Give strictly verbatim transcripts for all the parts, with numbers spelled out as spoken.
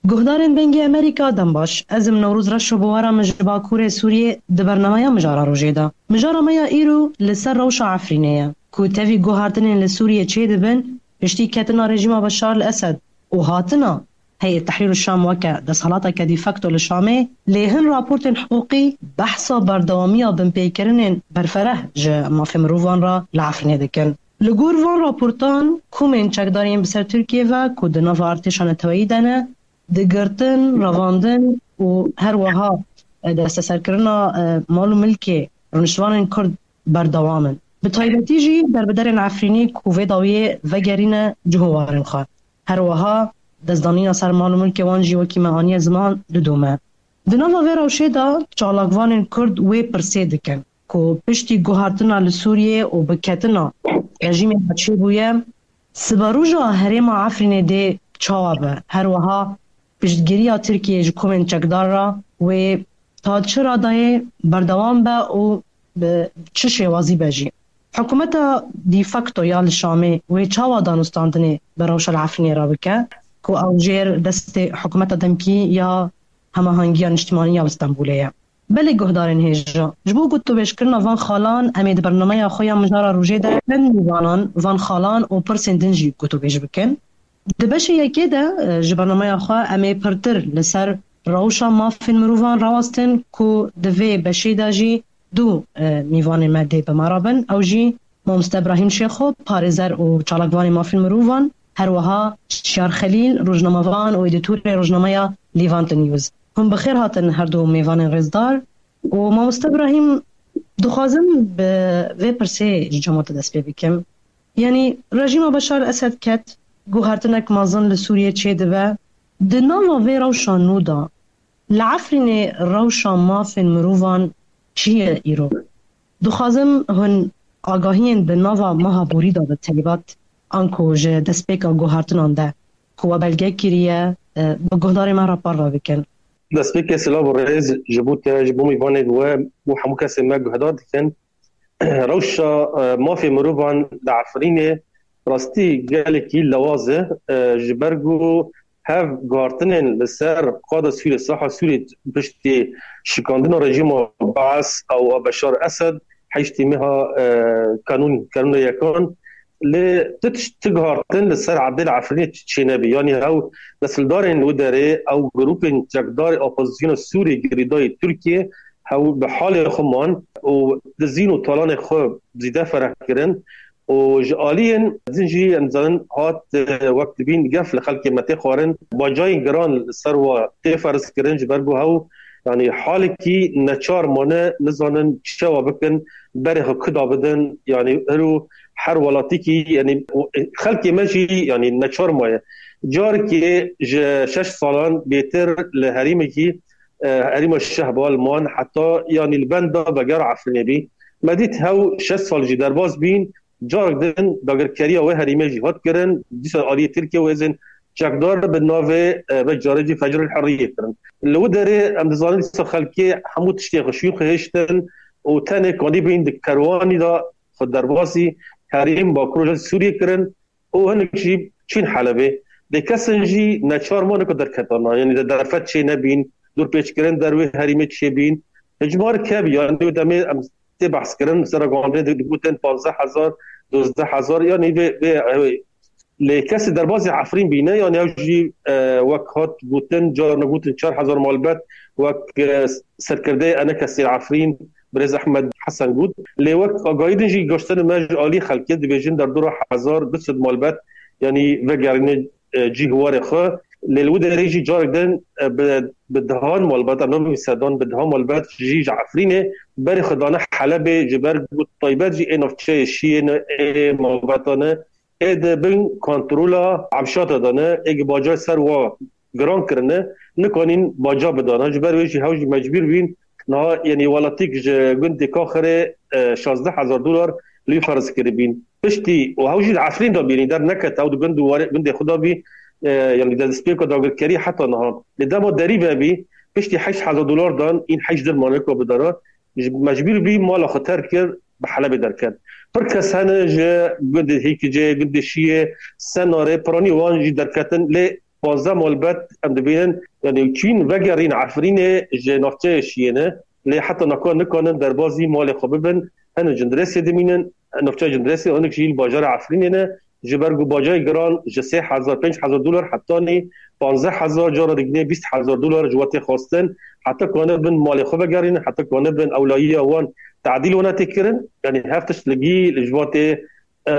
Guhdarên Dengê Amerîka, dem baş. Ez im Newroz Reşo, bi we re me ji Bakurê Sûriyê di bernameya Mijara Rojê de. Mijara me ya îro li ser rewşa Efrînê ye, ku tevî guhartinên li Sûriyê çêdibin, piştî ketina rejîma Beşar el Esed û hatina Heyet Tehrîr Şam weke desthilateke de facto li Şamê, lê hin raportên hiqûqî behsa berdewamiya binpêkirinên berfereh ji mafê mirovan re li Efrînê dikin. Li gor van raportan, komên çekdar yên bi ser Tirkiyê ve ku di nava artêşa neteweyî de ne, di girtin, revandin û her wiha, e, desteserkirina, e, mal û milkê rûniştvanên Kurd berdewam in. Bi taybetî jî derbiderên Efrînî ku vê dawiyê vegerîne ciho warên xwe. Her wiha destdanîna ser mal û milkê wan jî, wekî me aniye ziman, didome. Di nava vê rewşê de çalakvanên Kurd wê pirsê dikin ku piştî guhartina li Sûriyê û biketina rejîmê me çêbûye, siberoja herêma Efrînê dê çawa be? Her wiha piştgiriya Tirkiyê ji komên çekdar re wê ta çi radayê berdewam be û bi çi şêwazî be jî? Hikûmeta de facto ya li Şamê wê çawa danûstandinê bi rewşa li Efrînê re bike ku ew jêr destê hikûmeta demkî ya hemahengiya niştimanî ya li Stenbolê ye? Belê guhdarên hêja, ji bo gotûbêjkirina van xalan em ê di bernameya xwe ya Mijara Rojê de çend mîvanan van xalan û pirsên din jî gotûbêj bikin. Di beşê yekê de, e, ji bernameya xwe em ê pirtir li ser rewşa mafên mirovan rawestin ku di vê beşê de jî du, e, mîvanên me dê bi me re bin. Ew jî Mamoste Ibrahîm Şêxo, parêzer û çalakvanê mafên mirovan, her wiha Şiyar Xelîl, rojnamevan û edîtorê rojnameya Levant News. Hûn bi xêr hatin her du mêvanên rêzdar. Û Mamoste Ibrahîm, dixwazim bi vê pirsê ji cem we dest pê bikim. Yanî rejîma Beşar Esed ket, guhertinek mezin li Sûriyê çêdibe. Di nava vê rewşa nû de, li Efrînê rewşa mafên mirovan çi ye îro? Dixwazim hûn agahiyên di nava meha borî de bi taybet anku ji destpêka guhertinan de ku we belge kiriye, e, bi guhdarê me re parve bikin. Destpêkê silav û rêz ji bo te, ji bo mêvanê we û hemû kesên me guhdar dikin. Rewşa, e, mafê mirovan li Efrînê rastî gelekî lewaz e, e, ji ber ku hev guhartinên li ser qada Sûrê, saha Sûrê piştî şikandina rejîma Baas û a Beşar Esed heştê meha, e, kanûn, kanûna yekan. Lê tu tişt, tu guhartin li ser erdê li Efrînê çênebî. Yanî hew nesildarên wî derê, ew grûpên çekdarê opozisyona Sûrê girêdayî Tirkiyê, hew bi halê xwe man û dizîn û talanê xwe zîde fereh kirin. Û ji aliyên din jî em dizanin hat, e, wek dibîn gef li xelkê me tê xwarin. Bacayên giran li ser wa tê ferz kirin, ji ber ku hew, yanî halekî neçar mane, nizanin çawa bikin, berê xwe kuda bidin. Yanî hero her welatikî, yanî, e, xelkê me jî, yanî, neçar maye. Carekê ji şeş salan bêtir li herêmekî, e, herêma Şehbal man, heta, yanî, li benda vegera Efrînê bî. Me dît hew şeş sal jî derbas bîn, carek din dagirkeriya wê herêmê jî hat kirin. Dîsa aliyê Tirkiye û hêzên çekdar bi navê, e, vê carê jî Fecrul Hurriyê kirin. Li wî derê em dizanin dîsa xelkê hemû tiştê xwe şûn xwe hêştin û tenê kanî bîn di kerwanî de xwe derbasî herêm Bakur Rojhilatê Sûriyê kirin û hinek jî çîn Helebê. Lê kesin jî neçar mane ku derketana, yanî de derfet çê nebîn, dorpêçkirin derwê herêmê çêbîn. Hicmar kevî, yanî wê demê em tê behs kirin, sera gandê di-, digotin panzdeh hezar, dozdeh hezar, yanî vê, vê, vê. Lê kesê derbazê Efrîn bîne, yanî ew jî, e, wek hat gotin, carna gotin çar hezar malbet, wek, e, serkirdeyê ENKSê Efrîn, Birêz Ehmed Hesen got. Lê wek agahî din jî gaştene me ji alî xelkê dibêjin derdora hezar du sed malbet, yanî vegerîne, e, cî hiwarê xwe. Lê li wî derê jî carek din, e, bi, bi dehan malbet, em nabin sedan, bi dehan malbet jî ji Efrînê berê xwe dane Helebê, ji ber ku taybet jî ê navçeyê Şiyê ne, ê malbeta ne, ê di bin kontrola Amşata de ne, ê ki bacayê ser wa giran kirine, nikanîn baca bidana. Ji ber wê jî hew jî mecbûr bîn. Niha, yanî, welatik ji gundê Kaxirê, e, şazdeh hezar dolar li wî ferz kiribîn. Piştî, û hew jî li Efrîn de bî, derneket, ew di gund û warê, gundê xwe de bî, e, yanî, destpêka dagirkerî heta niha. Lê dema derî vebî, piştî heşt hezar dolar dan, în heşt dir mane ku bidana, ji, mecbûr bî mala xwe terk kir, bi Helebê derket. Pir kes hene ji gundê Hêkicê, gundê Şiyê, Senarê, piranî wan jî derketin, lê pazdeh malbet em dibînin, yanî çîn vegerîn Efrînê ji navçeyê şiyê ne, lê heta naka nikanin derbazî malê xwe bibin, hin Cindirêsê dimînin, navçeya Cindirêsê, hinek jî li bajarê Efrînê ne, ji ber ku bacayê giran ji sê hezar, pênc hezar dolar hetanî panzdeh hezar, cara digine bîst hezar dolar ji we tê xwestin, heta kanibin malê xwe vegerînin, heta kanibin ewlayiya wan tadîl wana tê kirin, yanî hev tişt li gî li ji we tê, e,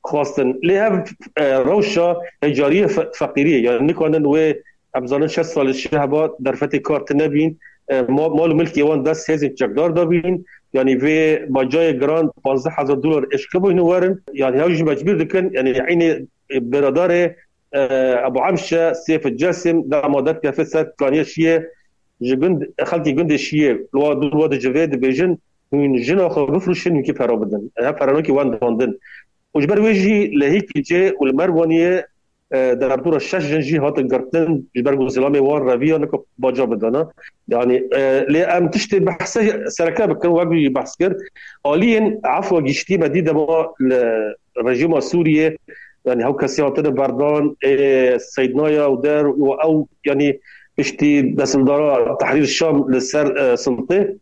xwestin. Lê hev, e, rewşa hecariyê fe-, feqîriyê, yanî nikanin wê, em zanin şeş sal ji heba derfetê kar tine bîn, e, ma-, mal û milkê wan dest hêzên çekdar dabîn, yanî vê bacayê giran panzdeh hezar dolar eşkebûyne werin, yanî hew jî mecbûr dikin, yanî eynê biradarê, e, Ebu Emşe, Sêf Cesim, dema derkeve ser kaniye şiyê, ji gund, xelkê gundê şiyê, li wa dûr wa dicivê dibêjin, hûn jina xwe bifroşin, hûn kî pera bidin. Ev peranokî wan dandin. Û ji ber wê jî li Hîkîcê û li Merwaniyê, e, derdora şeş jin jî hatin girtin, ji ber ku zilamê wan reviya nika baca bidana. Yanî, e, lê em tiştê behse sereke bikin, wek jî behs kir. Aliyên efwa giştî me dî dema li rejîma Sûriyê, yanî hew kesê hatine berdan, ê, Seydnaya û der û ew, yanî piştî destildara Tehrîr Şam li ser, e, siltê,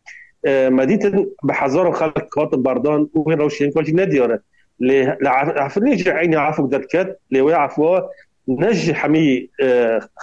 e, me dîtin bi hezaran xelk hatin berdan û wê rewşên ka jî nediyar e. Lê li Ef-, Efrînê jî eynî efok derket, lê wê efwa ne ji hemî, e,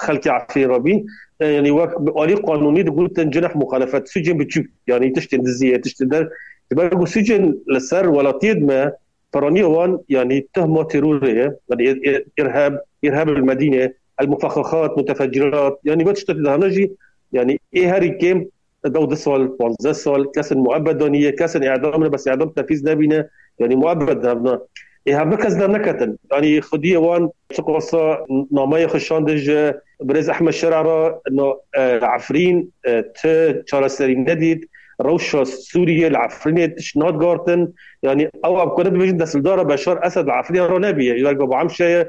xelkê Efrîn re bî. E, yanî wek bi alî qanûnî digotin cineh muxalefet, sûcên biçûk, yanî tiştên diziyê, tiştên der. Ji ber ku sûcên li ser welatiyê me, piraniya wan, yanî tuhma terorê ye, yanî ir-, ir-, irhab, irhab el Medîne, el mufexexat, mutefecirat, yanî ve tişta tê de hene jî, yanî ê herî kêm dew du sal, panzdeh sal, kesên muebbet daniye, kesên îdam ne, bes îdam tefîz nebîne, yanî muebbet devna. Ê hevbe kes derneketin. Yanî xwediyê wan çiqasa nameyê xwe şandin ji birêz Ehmed Şera re, no, e, Efrîn, e, ti çareserî nedît, rewşa Sûriyê li Efrînê tişt nat gartin. Yanî ew em kare dibêjin destildara Beşar Esed li Efrînê re nebiye. Ji ber ku Ebu Emşe ye,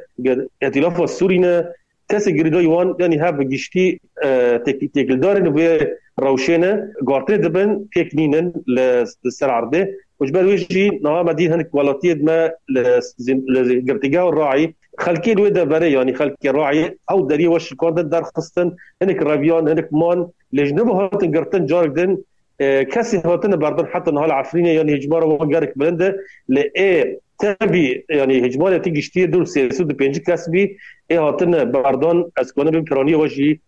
îtîlafa Sûrî ne, kesê girêdayî wan, yanî hev bi giştî, e, têk-, têkildarên vê rewşê ne, gartinê dibin, pêk nînin li, li ser erdê. Û ji ber wê jî niha me dî hinek welatiyê me li zî-, li girtîgeha Raî, xelkê li wê deverê, yanî xelkê Raî, ew deriyê we şikandin derxistin, hinek reviyan, hinek man, lê ji niha hatin girtin carek din, e, kesê hatine berdan heta niha li Efrînê, yanî hicmara wan gelek bilind e, lê ê tevî, yanî hicmarê tê giştî dûr sê sed û pêncî kes bî, ê hatine berdan, ez kanim bim piraniyê we jî,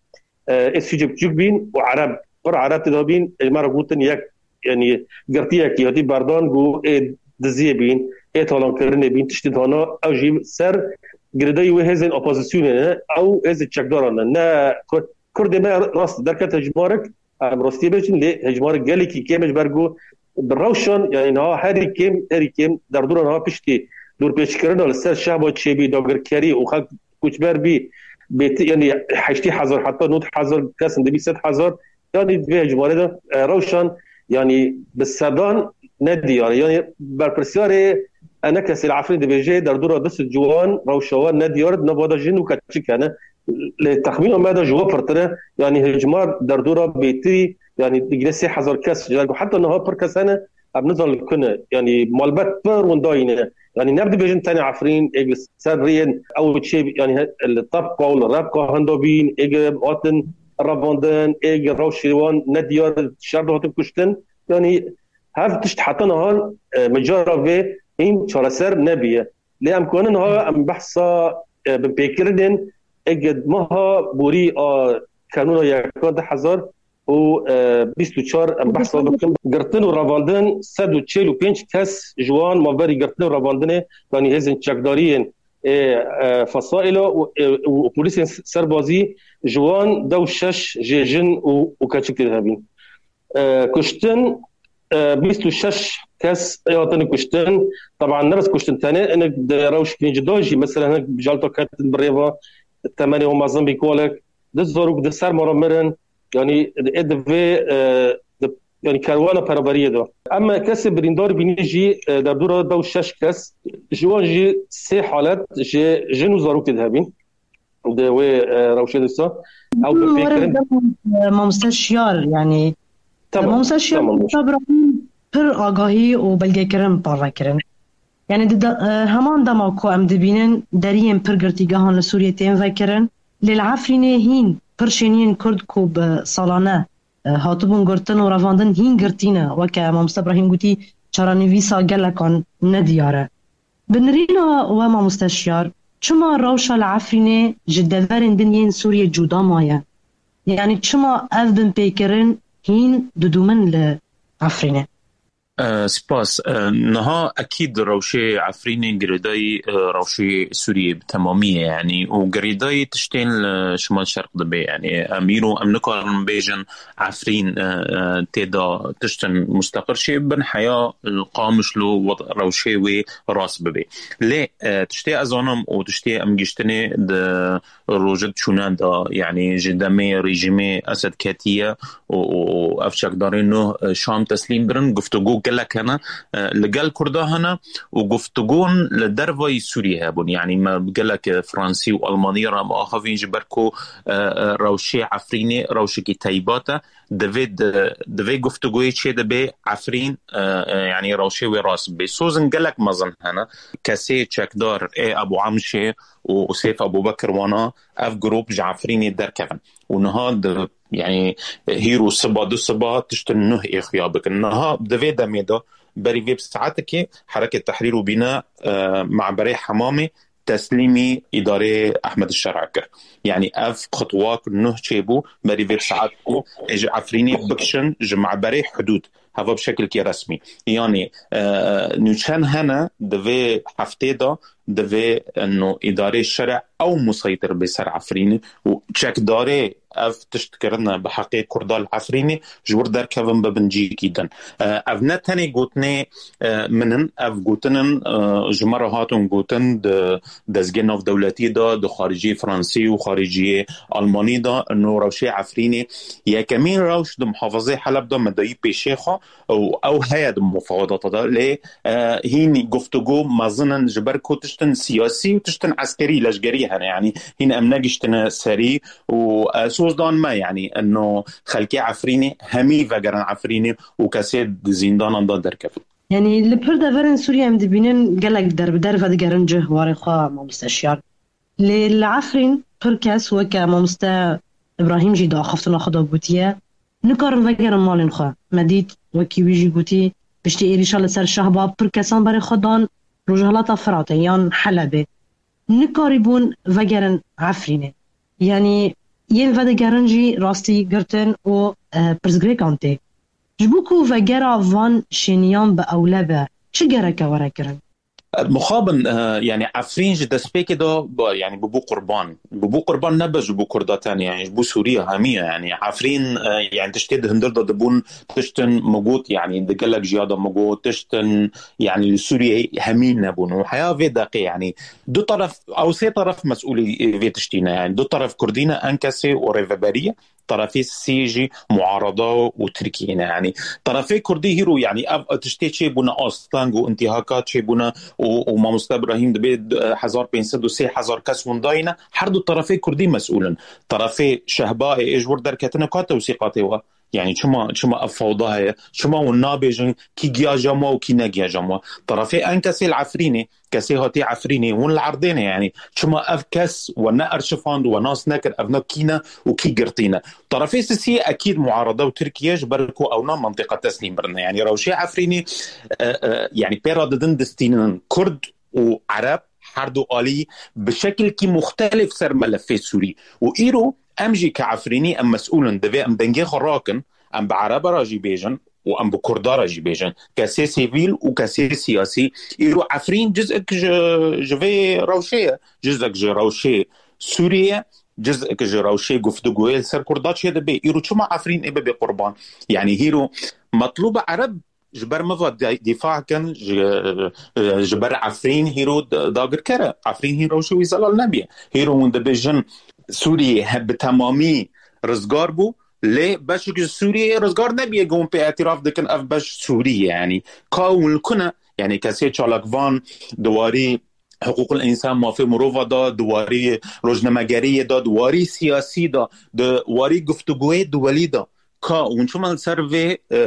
e, ê sûcê biçûk bîn û Ereb, pir Ereb tê de bîn, ê me re gotin yek, yanî girtiyekî hatî berdan ku ê diziyê bîn, ê talankirinê bîn, tiştê dana, ew jî ser girêdayî wê hêzên opozisyonê ne, ew hêzên çekdaran ne, ne Kur-, Kurdê me rast derket hicmarek, em rastiyê bêjin, lê hicmarek gelekî kêm e ji ber ku bi rewşan, yanî niha herî kêm, herî kêm, derdora niha piştî dorpêçkirina li ser şehba çêbî, dagirkerî û xelk koçber bî, bêti, yanî heştê hezar heta nod hezar kes in, dibî sed hezar, yanî di vê hicmarê de, e, rewşan, yanî bi sedan nediyar e. Yanî berpirsiyarê enekesê li Efrîn dibêje, derdora du sed ciwan rewşa wan nediyar e, di nava de jin û keçik hene. Lê texmîna me de ji we pirtir e, yanî hicmar derdora bêtirî, yanî digire sê hezar kes, ji ber ku heta niha pir kes hene, em nizanin li ku ne, yanî malbet pir windayî ne. Yanî ne dibêjin tenê Efrîn, ê li ser rêyên ew çê, yanî he-, li Tebqa û li Rebqa henda bîn, ê hatin revandin, ê rewşê wan nediyar, şer de hatin kuştin. Yanî hev tişt heta niha, e, micara vê hîn çareser nebiye. Lê em kanin ha em behsa, e, binpêkirinên ege meha borî a kanûna yekan du hezar û bîst û çar em behsa bikin. Girtin û revandin sed û çil û pênc kes ji wan maverî girtin û revandinê, yanî hêzên çekdariyên, e, e, fesaîla û, e, û polîsên serbazî ji wan dew şeş jê jin û, û keçik tê de hebîn. E, kuştin, e, bîst û şeş kes ê hatine kuştin. Teban ne bes kuştin tenê, hinek di rewşekî cuda jî, mesela hinek jalta ketin bi rêva temenê wan mezin bî kolek, di zarok di ser mara mirin, yanî ê di vê, e, di, yanî kerwana pereveriyê de. Em kesê birîndar bînî jî, e, derdora dew şeş kes, ji wan jî sê halet ji jin û zarok tê de hebîn. Di wê, e, rewşê de sa. Ew bi Hı, pêk were kirin. Dema, e, mamoste Şiyar, yani, Tamam, mamoste Şiyar, tamam. Sabra pir agahî û belgekirin parve kirin. Yani, di de, e, heman dema ku em dibînin deriyên pir girtîgehan li Sûriyê tên vekirin, Lê li Efrînê hîn pir şêniyên Kurd ku bi salane, e, hatibûn girtin û revandin hîn girtî ne. Weke Mamoste Ibrahîm gotî, çarenivîsa gelekan ne diyar e. Bi nirîna we Mamoste Şiyar, çima rewşa li Efrînê ji deverên din yên Sûriyê cuda maye? Yanî çima ev binpêkirin hîn didûmin li Efrînê? E, spas. E, niha ekîd rewşê Efrînê girêdayî, e, rewşê Sûriyê bi temamî ye, yanî û girêdayî tiştên li Şimal Şerq dibe. Yanî em îro em nikarin bêjin Efrîn, e, e, tê de tiştin musteqir çê bibin, heya li Qamişlo wed-, rewşê wê rast bibe. Lê, e, tiştê ez zanim û tiştê em giştinê di rojek çûne de, yanî ji demê rejîmê Esed ketiye û, û, û ev çekdarên nû, e, Şam teslîm birin, guftûgo gelek hene, e, li gel Kurda hene û guftûgon li dervayî Sûriyê hebûn. Yanî me gelek, e, Fransî û Almanî re me axivîn ji ber ku, e, e, rewşê Efrînê rewşekî teybat e. Divê, di-, divê guftûgoyê çê dibe Efrîn, e, e, yanî rewşê wê rast bibe. Sozin gelek mezin hene. Kesê çekdar ê Ebû Amşê û Sêf Ebûbekir wana ev grûp ji Efrînê derkevin. Û niha di, yanî, hîr û siba, du siba tiştin nuh ê xuya bikin. Niha di vê demê de berî vê bi saetekê Hereket Tehrîr û Bîna, e, Me'berê Hemamê teslîmî îdareyê Ehmed Şer'a kir. Yanî ev xutwak nuh çêbû berî vê bi saetekê ê ji Efrînê bikişin ji Me'berê Hudûd. Heva bi şekilkî resmî. Yanî, e, nûçen hene di vê heftê de divê eno îdarê şerê ew museytir bê ser Efrînê û çekdarê ev tişt kirine bi heqê Kurda li Efrînê ji wir derkevin bibin cîkî din. E, ev ne tenê gotinê, e, min in, ev gotin in, e, ji me re hatin gotin di dezgê navdewletî de, di xariciyê Fransî û xariciyê Almanî de, eno rewşê Efrînê yekemîn rewş di muhafazê Heleb de me dayî pêşê xwe, û ew heye di mufawedata de, lê, e, hîn guftûgo mezin in ji ber ku tiştin siyasî û tiştin eskerî, leşgerî hene, yanî hîn em negiştine serî û, e, soz dan me, yanî eno xelkê Efrînê hemî vegerin Efrînê û kesê di zîndanan de derkevin. Yanî li pir deverên Sûriyê em dibînin gelek derbider vedigerin cih warê xwe, mamoste Şiyar. Lê li Efrîn pir kes weke mamoste Îbrahîm jî di axaftina xwe de gotiye, nikarin vegerin malên xwe. Me dît, wekî wî jî gotî, piştî êrîşa li ser Şehba pir kesan berê xwe dan Rojhilata Firatê yan Helebê. Nikarîbûn vegerin Efrînê. Yanî yên vedigerin jî rastî girtin û, e, pirsgirêkan tê. Ji bo ku vegera van şêniyan bi ewle be, çi gereke were kirin? Mixabin, e, yanî Efrîn ji destpêkê de, ba, yanî bibû qurban. Bibû qurban nebe ji bo Kurda tenê, yanî ji bo Sûriye hemî ye. Yanî Efrîn, e, yanî tiştê di hundir de dibûn tiştin, min got, yanî di gelek jiya de min got, tiştin, yanî li Sûriyeyê hemî nebûn. Û heya vê deqê, yanî du teref, ew sê teref mesûlî vê tiştî ne. Yanî du teref Kurdî ne, ENKSê û Rêveberî ye. Terefê sisî jî muarada û Tirkiyê ne. Yanî terefê Kurdî hîro, yanî ev tiştê çêbûne, asteng û intîhaka çêbûne û, û mamoste Îbrahîm dibê, e, hezar pênc sed û sê hezar kes windayî ne. Her du terefê Kurdî mesûl in. Terefê Şehbayê ê ji wir derketine ka tewsîqatê we? Yanî çima, çima ev fewda heye? Çima hûn nabêjin kî giya cem we û kî ne giya cem we? Terefê ENKSê li Efrînê, kesê hatî Efrînê, hûn li erdê ne, yanî çima ev kes we ne erşifand, we nas nekir, ev ne kî ne û kî girtî ne? Terefê sisî ekîd muarada û Tirkiye, ji ber ku ewna mentiqa teslîm birine. Yanî rewşê Efrînê, e, e, yanî pê re didin distînin Kurd û Ereb, her du alî bi şekilkî muxtelif ser melefê Sûrî. Û îro em jî ke Efrînî em mesûl in, divê em dengê xwe rakin, em bi Ereba re jî bêjin û em bi Kurda re jî bêjin. Kesê sivîl û kesê siyasî. Îro Efrîn cizek ji, ji vê rewşê ye. Cizek ji rewşê Sûriyê ye. Cizek ji rewşê guftûgoyê li ser Kurda çêdibe. Îro çima Efrîn ê bibe qurban? Yanî hîro metlûb Ereb ji ber miva de-, dîfa kin, ji, e, ji ber Efrîn hîro d-, dagirker e. Efrîn hîn rewşê wî zelal nebiye. Hîro hûn dibêjin Sûriyê he-, bi temamî rizgar bû, lê beşek ji Sûriyê rizgar nebiye, ku hûn pê îtiraf dikin ev beş Sûrî ye. Yanî ka hûn li ku ne? Yanî kesê çalakvan di warî hiqûqil însan, mafê mirova de, di warî rojnamegeriyê de, di warî siyasî de, di warî guftûgoyê duwelî de, ka hûn çima li ser vê, e,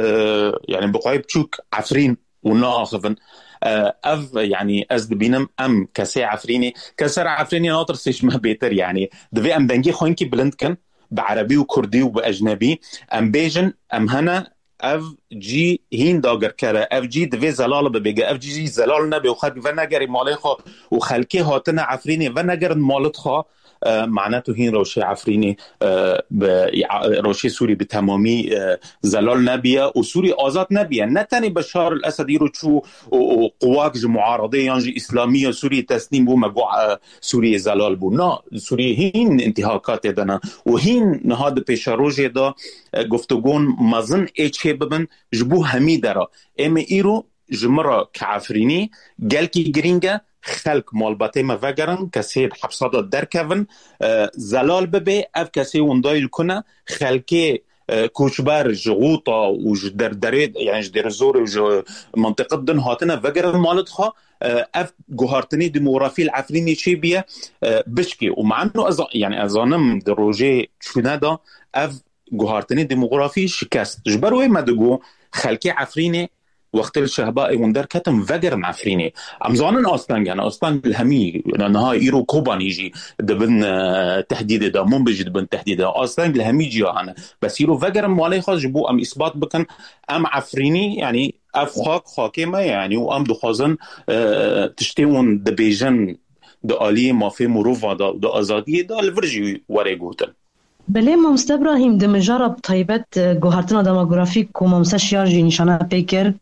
yanî bi xweyê biçûk Efrîn û naaxivin. E, ev, yanî ez dibînim em kesê Efrînê, keser Efrînê natirsê ji me bêtir, yanî divê em dengê xwe hinkî bilind kin, bi erebî û kurdî û bi ecnebî em bêjin, em hene, ev cî hîn dagirker e, ev cî divê zelal bibe, ge ev cî zelal nebe û xelk venegerê malê xwe û xelkê hatine Efrînê venegerin malit xwe, e, mane tu hîn rewşê Efrînê, e, bi, ya, rewşê Sûrî bi temamî, e, zelal nebiye û Sûrî azad nebiye. Ne tenê Beşar el Esed îro çû û, û quwak ji muaradê yan ji îslamî ya Sûriyê teslîm bû, me got, e, Sûriyê zelal bû. Na, Sûriyê hîn intîhakatê de ne. Û hîn niha di pêşerojê de, e, guftûgon mezin ê çê bibin ji bo hemî dera. Ê me îro ji min re ke Efrînî gelkî girîng e, xelk malbatê me vegerin, kesê di hepsa de derkevin, e, zelal bibe, ev kesê winda yê li ku ne, xelkê, e, koçber ji Xûta û ji der-, derê, yani ji Dêrezorê û ji mintiqet din hatine vegerin malit xwe, e, ev guhartinê demografî li Efrînê çêbiye, e, bişkê. Û mano ez, yani ez zanim di rojê çûne de ev guhartinê demografî şikest. Ji ber wê me digo xelkê Efrînê wextê li Şehba ê hûn derketin vegerin Efrînê. Em zanin asteng hene, asteng li hemî, niha îro Kobanî jî dibin, e, tehdîdê de, Mûnbê jî dibin tehdîdê de. Asteng li hemî ciya hene. Bes îro vegerin malê xwe ji bo em îsbat bikin, em Efrînî, yanî ev xak, xakê me ye, yanî û em dixwazin, e, tiştê hûn dibêjin di aliyê mafê mirova de û di azadiyê de li vir jî were gotin. Belê, Mamoste Îbrahîm, di mijara bi taybet, e, guhertina demografîk ku Mamoste Şiyar jî nîşane pê kir,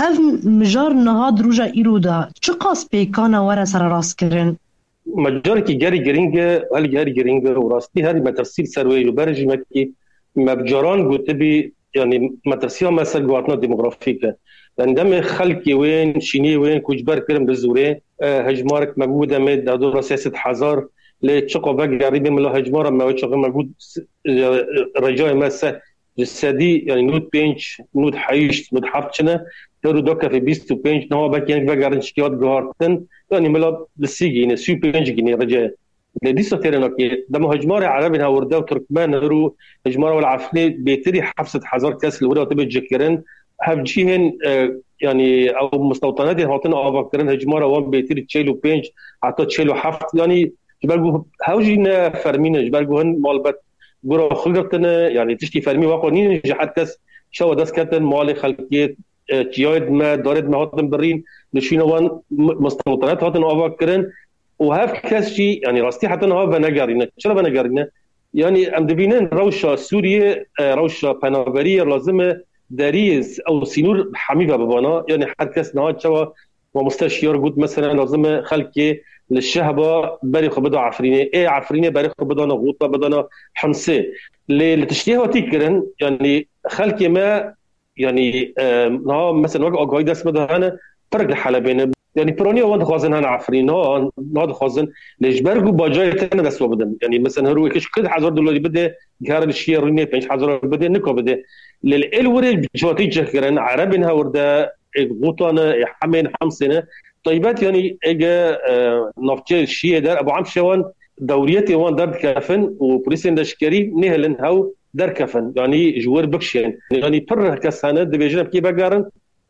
ev mijar niha di roja îro de çiqas pêkan e were sererastkirin? Mijarekî gelî girîng e, gelî gelî girîng e û rastî herî metirsî li ser wê ye. Ber jî wekî me bi caran gotibî, yanî metirsiya me ser guhertina demografîk e. Yanî demê xelkê wên, şîniyê wên koçber kirin bi zorê, e, hejmarek me bû demê derdora sê sed hezar, lê çiqa vegerî bê mila hejmara me wê çaxê me got, e, recayê me se ji sedî, yanî nod pênc, nod heşt, nod heft çine, teru dakefê bîst û pênc, niha belkî hinek vegerin şikiyat guhartin, yanî mila bi sî gîne, sî û pênc gîne recayê. Lê dîsa têrê nakê. Dema hejmarê Erebên hewirde û Tirkmen hir û hejmara wela Efrînê bêtirî heft sed hezar kes li wir hatibe cihkirin. Hevcîhên, e, yanî ew mistewtanetê hatin avakirin, hejmara wan bêtirî çel û pênc heta çel û heft. Yanî ji ber ku hew jî ne fermî ne, ji ber ku hin malbet gura xwe girtine, yanî tiştî fermî wexwe nînin ji her kes çawa dest ketin malê xelkê, e, çiyayê me, darê me hatin birîn, li şûna wan m-, mistewtanet hatin avakirin. Û hev kes jî, yanî rastî heta niha venegerîne. Çira venegerîne? Yanî em dibînin rewşa Sûriyê, e, rewşa penaberiyê lazim e deriyê s-, ew sînor hemî ve bibana. Yanî her kes niha çawa Mamoste Şiyar got, mesela lazim e xelkê li Şehba berê xwe bida Efrînê. Ê Efrînê berê xwe bidana Xûta, bidana Himsê. Lê li tiştê hatî kirin, yanî xelkê me, yanî, e, niha mesela wek agahî dest me de hene, pirek li Helebê ne. Yanî piraniya wan dixwazin hene Efrîn, niha, niha dixwazin. Lê ji ber ku bacayê tene dest we bidin. Yanî mesela her wekî ji hezar dolarî bide, gere li şiyê rûnê pênc hezar bide, nika bide. Lê li êl wirê bi civatî cih kirin, Erebên hewirde, ê Xûta ne, ê Hemê ne, Himsê ne. Taybet yanî êge, e, navçeyê şiyê der, ebu em şewan dewriyetê wan derdikefin û polîsên leşkerî nêhilin hew derkefin, yanî ji wir bikişên. Yanî pir kes hene, dibêjin em kê vegerin,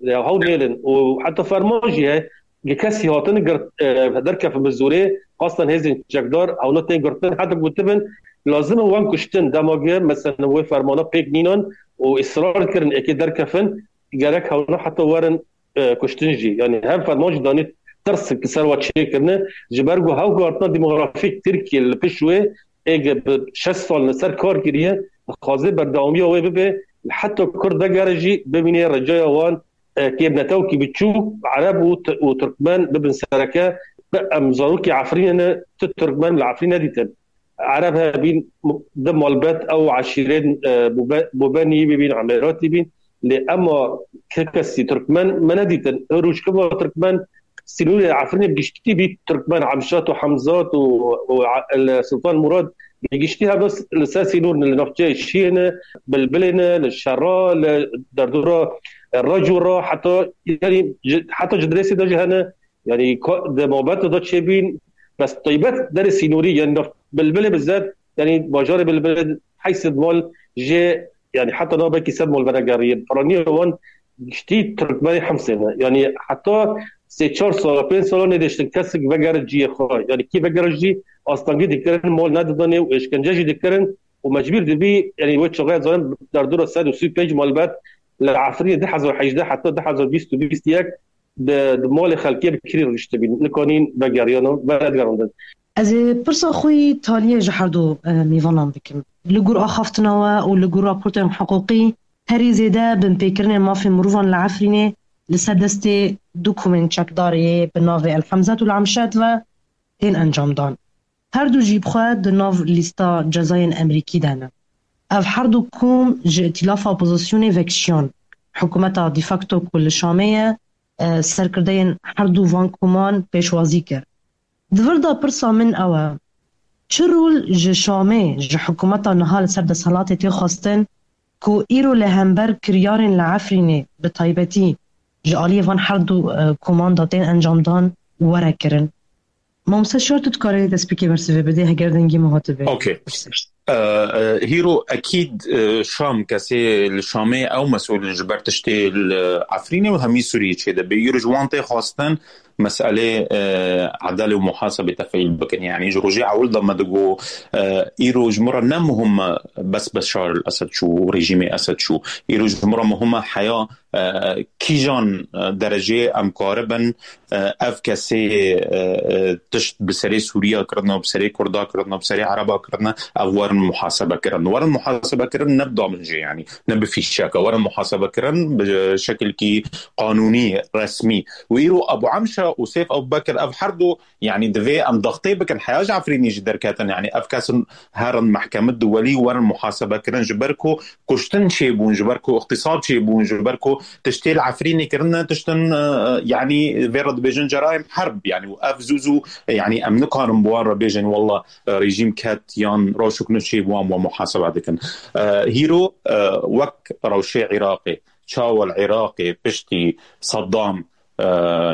e, hewl nêlin. Û heta ferman jî heye, gi kesî hatin girt, e, derkefin bi zorê, qastan hêzên çekdar, hewna tên girtin, heta gotibin, lazim e wan kuştin, dema gi, mesela, wê fermana pêk nînan û israr kirin, êkê derkefin, gerek hewna heta werin, e, kuştin jî. Yanî hev ferman jî danî tirs ki ser wa çêkirine. Ji ber ku hewlgortina demografîk Tirkiye li pişt wê êge bi şeş sal li ser kar kiriye, dixwaze berdewamiya wê bibe, heta Kurd vegere jî bibîne recaya wan, e, kêm ne tewkî biçûk, Ereb û T-, û Tirkmen bibin sereke, bi em zarokê Efrînê ne, tu Tirkmen li Efrîn nedîtin. Ereb hebîn, di malbet ew eşîrên, e, Bûbe-, Bûbenî bibîn, Emeratî bîn. Lê ema ke kesî Tirkmen me nedîtin. Rojkiva Tirkmen sînorê Efrînê bi giştî bî Tirkmen, Emşat û Hemzat û, û e-, li Sultan Murad bi giştî hevda s-, li ser sînor ne, li navçeyê Şiyê ne, Bilbilê ne, li Şera, li derdora, e, Raco ra, heta, yanî, ji, heta Cidirêsê de jî hene. Yanî ka-, di mabete de çêbîn, bes taybet derê sînorî, yanî naf-, Bilbilê bi zed, yanî bajarê Bilbilê heyşt sed mal jê, yanî heta niha belkî sed mal venegeriye. Piraniya wan giştî Tirkmenê Himsê ne. Yanî heta sê çar sala, pênc sala nêdiştin kesik vegere ciyê xwe. Yanî kî vegere jî astengî dikirin, mal nedidanê û êşkence jî dikirin û mecbûr dibî, yanî wê çaxê zanin derdora sed û sî û pênc malbet li Efrînê du hezar hejdeh heta du hezar bîst û bîst û yek di, di malê xelkê bi kirî rihiştibîn. Nikanîn vegeriyana, venedigerandin. Ez ê pirsa xwe yî taliyê ji her du, e, mêvanan bikim. Li gor axaftina we û li gor raportên hiqûqî, herî zêde binpêkirinên mafên mirovan li Efrînê li ser destê du komên çekdarê bi navê El Hemzet û El Emşet ve tên encamdan. Her du jî bi xwe di nav lîsta cezayên Amerîkî de ne. Ev her du kom ji îtîlafa opozisyonê vekişiyan. Hikûmeta de facto ku li Şamê ye, e, serkirdeyên her du van koman pêşwazî kir. Di vir de pirsa min ew e, çi rol ji Şamê, ji hikûmeta niha li ser desthilatê tê xwestin ku îro li hember kiryarên li Efrînê bi taybetî ji aliyê van her du, e, koman de tên encamdan were kirin? Mamoste Şar, tu dikarî destpêkê bersivê bidê, heger dengê min hatibe. Okey. E, e, hîro ekîd, e, Şam, kesê li Şamê ew mesûl in ji ber tiştê li Efrînê û hemî Sûriyê çêdibe. Îro ji wan tê xwestin meselê, e, edelê û muhasebê tefîl bikin. Yanî ji rojê ewil de me digo, e, îro ji min re ne muhim e bes Beşar el Esed çû, rejîmê Esed çû. Îro ji min re muhim e heya, e, kîjan, e, dereceyê em karibin, e, ev kesê, e, e, tişt bi serê Sûriya kirine, bi serê Kurda kirine, bi serê Ereba kirine, ev werin muhasebe kirin. Werin muhasebe kirin ne bi damicê, yanî ne bi fîşeke. Werin muhasebe kirin bi şekilkî qanûnî, resmî. Û îro Ebu Emşe û Seyf Ebu Bekir, ev her du, yanî divê em daxtê bikin, heya ji Efrînê jî derketin. Yanî ev kesin herin mehkeme duwelî, werin muhasebe kirin, ji ber ku kuştin çêbûn, ji ber ku îxtîsab çêbûn, ji ber ku tiştê li Efrînê kirine, tiştin, e, e, yanî vê re dibêjin cerayim herb, yanî û ev zû zû, e, yanî em nikarin bi wan re bêjin, walla, e, rejîm ket yan rewşek nû çêbû, em we muhasebe dikin. E, hîro, e, wek rewşê Iraqê, çawa li Iraqê piştî Saddam, e,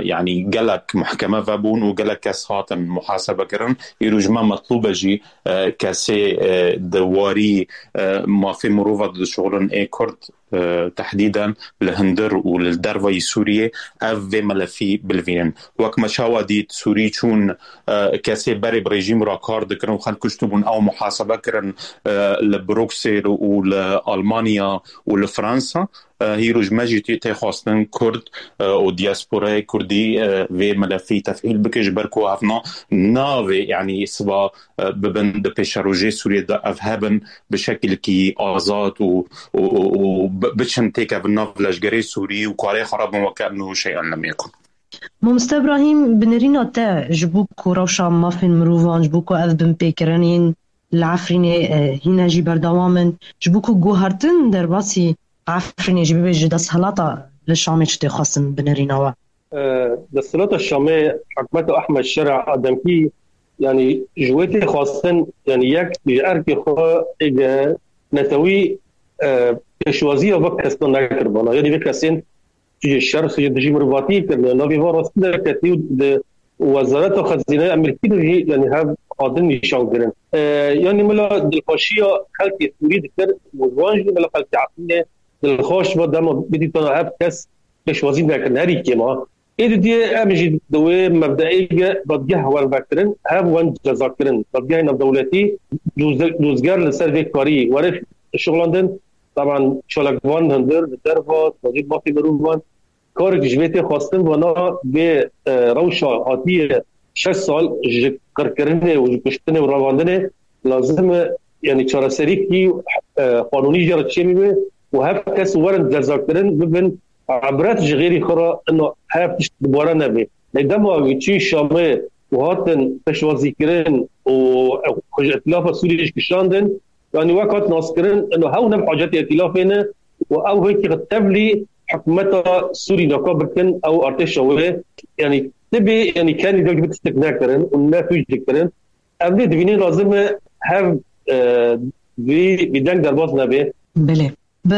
yanî gelek mehkeme vebûn û gelek kes hatin muhasebe kirin. Îro ji me metlûb e jî, e, kesê, e, di warî, e, mafê mirova dişuxulin ê Kurd, e, tehdîden li hundir û li dervayî Sûriyê ev vê melefî bilivînin. Wek me çawa dît, Sûrî çûn, e, kesê berê bi rejîm re kar dikirin û xelk kuştibûn, ew muhasebe kirin, e, li Bruksêl û li Almanya û li Fransa. E, hîro ji me jî tê, tê xwestin Kurd, e, û diasporayê Kurdî, e, vê melefî tefîl bike, ji ber ku evna navê, yanî siba, e, bibin di pêşerojê Sûriyê de, ev hebin bi şekilkî azad û, û, û, û bi-, biçin têkevin nav leşgerê Sûrî û karê xwe re bin weke em nû şeyan lem yekun. Mamoste Ibrahîm, bi nerîna te ji bo ku rewşa mafên mirovan, ji bo ku ev binpêkirinên li Efrînê, e, hîne jî berdewam in, ji bo ku guhertin derbasî Efrînê jî bibe, ji desthilata li Şamê çi tê xwestin bi nerîna we? E, desthilata Şamê, hikûmeta Ehmed Şera a demkî, yanî ji wê tê xwestin, yanî yek ji erkê xwe êge netewî, e, pêşwaziya vê kesna nekiribana. Yanî vê kesên tu ji şer, tu ji dijî mirovatiyê kirine. Navê van rastî derketî û di Wezareta Xezîneya Amerîkî de jî, yanî hev hatin nîşan kirin. E, yanî mila dilxweşiya xelkê Sûrî dikir û ji wan jî mila xelkê Efrînê dilxweş ve dema bidîtana hev kes pêşwazî nekirin. Herî kêma. Ê didiyê em jî di wê mebdeê ge dadgeh wen vekirin, hev wen ceza kirin. Dadgehê navdewletî dozge-, dozger li ser vê karî were şixulandin. Taban çalakvan hundir li derva, tevajî mafê mirovan. Karek ji vê tê xwestin, vana vê, e, rewşa hatiye şeş sal ji qirkirinê û ji kuştinê û revandinê lazim e, yanî çareserîkî, e, qanûnî jê re çêbî be û hev kes werin cezakirin, bibin ibret ji xêrî xwe re, ino hev tişt dubare nebe. Lê dema wî çû Şamê û hatin pêşwazîkirin û xwe ji îtîlafa Sûriyê jî kişandin, yanî wek hat naskirin, ino hew ne bi hacetê îtîlafê ne û ew wekî tevlî hikûmeta Sûrî naka bikin, ew artêşa wê, yanî tibê, yanî kenî dewlî bi tiştek nekirin û ne tûj dikirin. Em vê divînin lazim e hev, e, vî, vî deng derbas nebe. Belê. Bi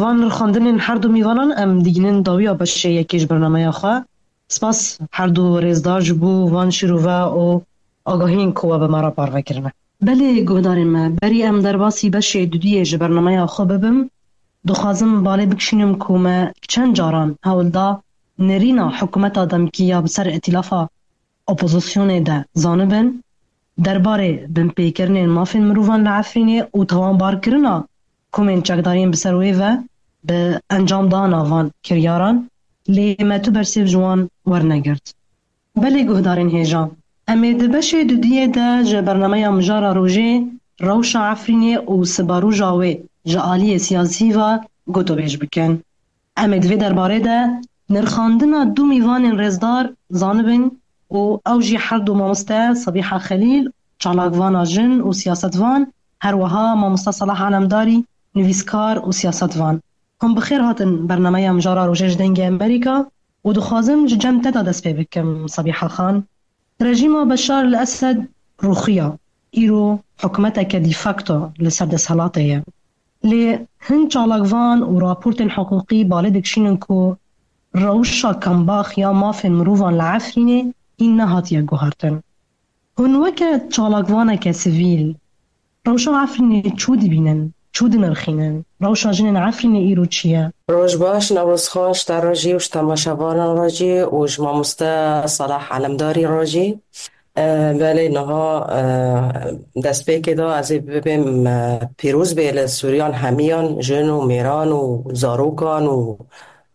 van rixandinên her du mîvanan em digihînin dawiya beşê yekê ji bernameya xwe. Spas her du rêzdar ji bo van şîrove û agahiyên ku we bi me re parve kirine. Belê guhdarên me, berî em derbasî beşê dudiyê ji bernameya xwe bibim, Dixwazim balê bikişînim ku me çend caran hewl da nêrîna hikûmeta demkî ya bi ser îtîlafa opozisyonê de zanibin, derbarê binpêkirinên mafên mirovan li Efrînê û tawanbarkirina komên çekdariyên bi ser wê ve bi encamdana van kiryaran, lê me tu bersêv ji wan wernegirt. Belê guhdarên hêja, em ê di beşê dudiyê de ji bernameya Mijara Rojê rewşa Efrînê û siberoja wê ji aliyê siyasî ve gotobêj bikin. Em ê di vê derbarê de nirxandina du mîvanên rêzdar zanibin û ew jî her du mamoste Sebîha Xelîl, çalakvana jin û siyasetvan, her wiha mamoste Salah Alemdarî, nivîskar û siyasetvan. Hûn bi xêr hatin bernameya Mijara Rojê ji Dengê Amerîka û dixwazim ji cem te de dest pê bikim, Sebîha Xan. Rejîma Beşar el Esed rûxiya, îro hikûmeteke de facto li ser desthilatê ye. Lê hin çalakvan û raportên hiqûqî balê dikişînin ku rewşa kembax ya mafên mirovan li Efrînê hîn nehatiye guhertin. Hûn weke çalakvaneke sivîl, rewşa Efrînê çû dibînin, çû dinirxînin? Rewşa jinên Efrînê îro çi ye? Roj baş, Newroz Xan, ji te re jî û ji temaşevanan re jî û ji mamoste Salah Alemdarî re jî. E, belê niha, e, destpêkê de ez ê bibêm, e, pîroz bê li Sûriyan hemiyan, jin û mêran û zarokan û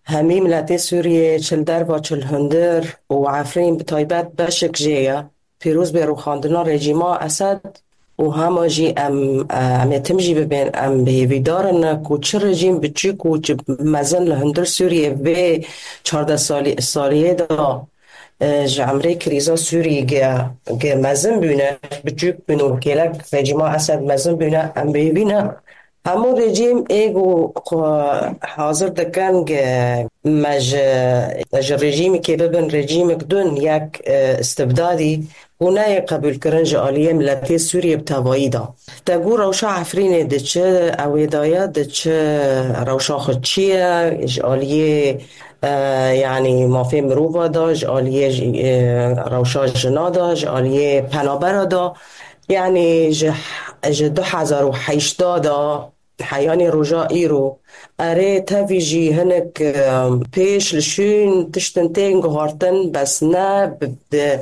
hemî miletê Sûriyê, çi li derva, çi li hundir û Efrîn bi taybet beşek jê ye. Pîroz bê rûxandina rejîma Esed û hema jî em, em ê tim jî bibên, em bi hêvîdar in ku çi rejîm biçûk û çi mezin li hundir Sûriyê vê çardeh salî-, saliyê de, e, ji emrê krîza Sûriyê ge, ge mezin bûne, biçûk bûne û kêlek rejîma Esed mezin bûne, em bi hêvî ne. Hemû rejîm ê ku xwe hazir dikin ge me ji, ji rejîmekê bibin rejîmek din, yek, e, istibdadî, ku neyê qebûlkirin ji aliyê miletê Sûriyê bi tevayî de. Te got rewşa Efrînê diçe, ew ê daye diçe, rewşa xwe çi ye, ji aliyê, e, yanî mafê mirova de, ji aliyê, e, rewşa jina de, ji aliyê penabera de. Yanî ji, ji du hezar û heşt de heyanî roja îro. Erê, tevî jî hinek, e, pêş li şûn tiştin tên guhartin, bes ne bi, bi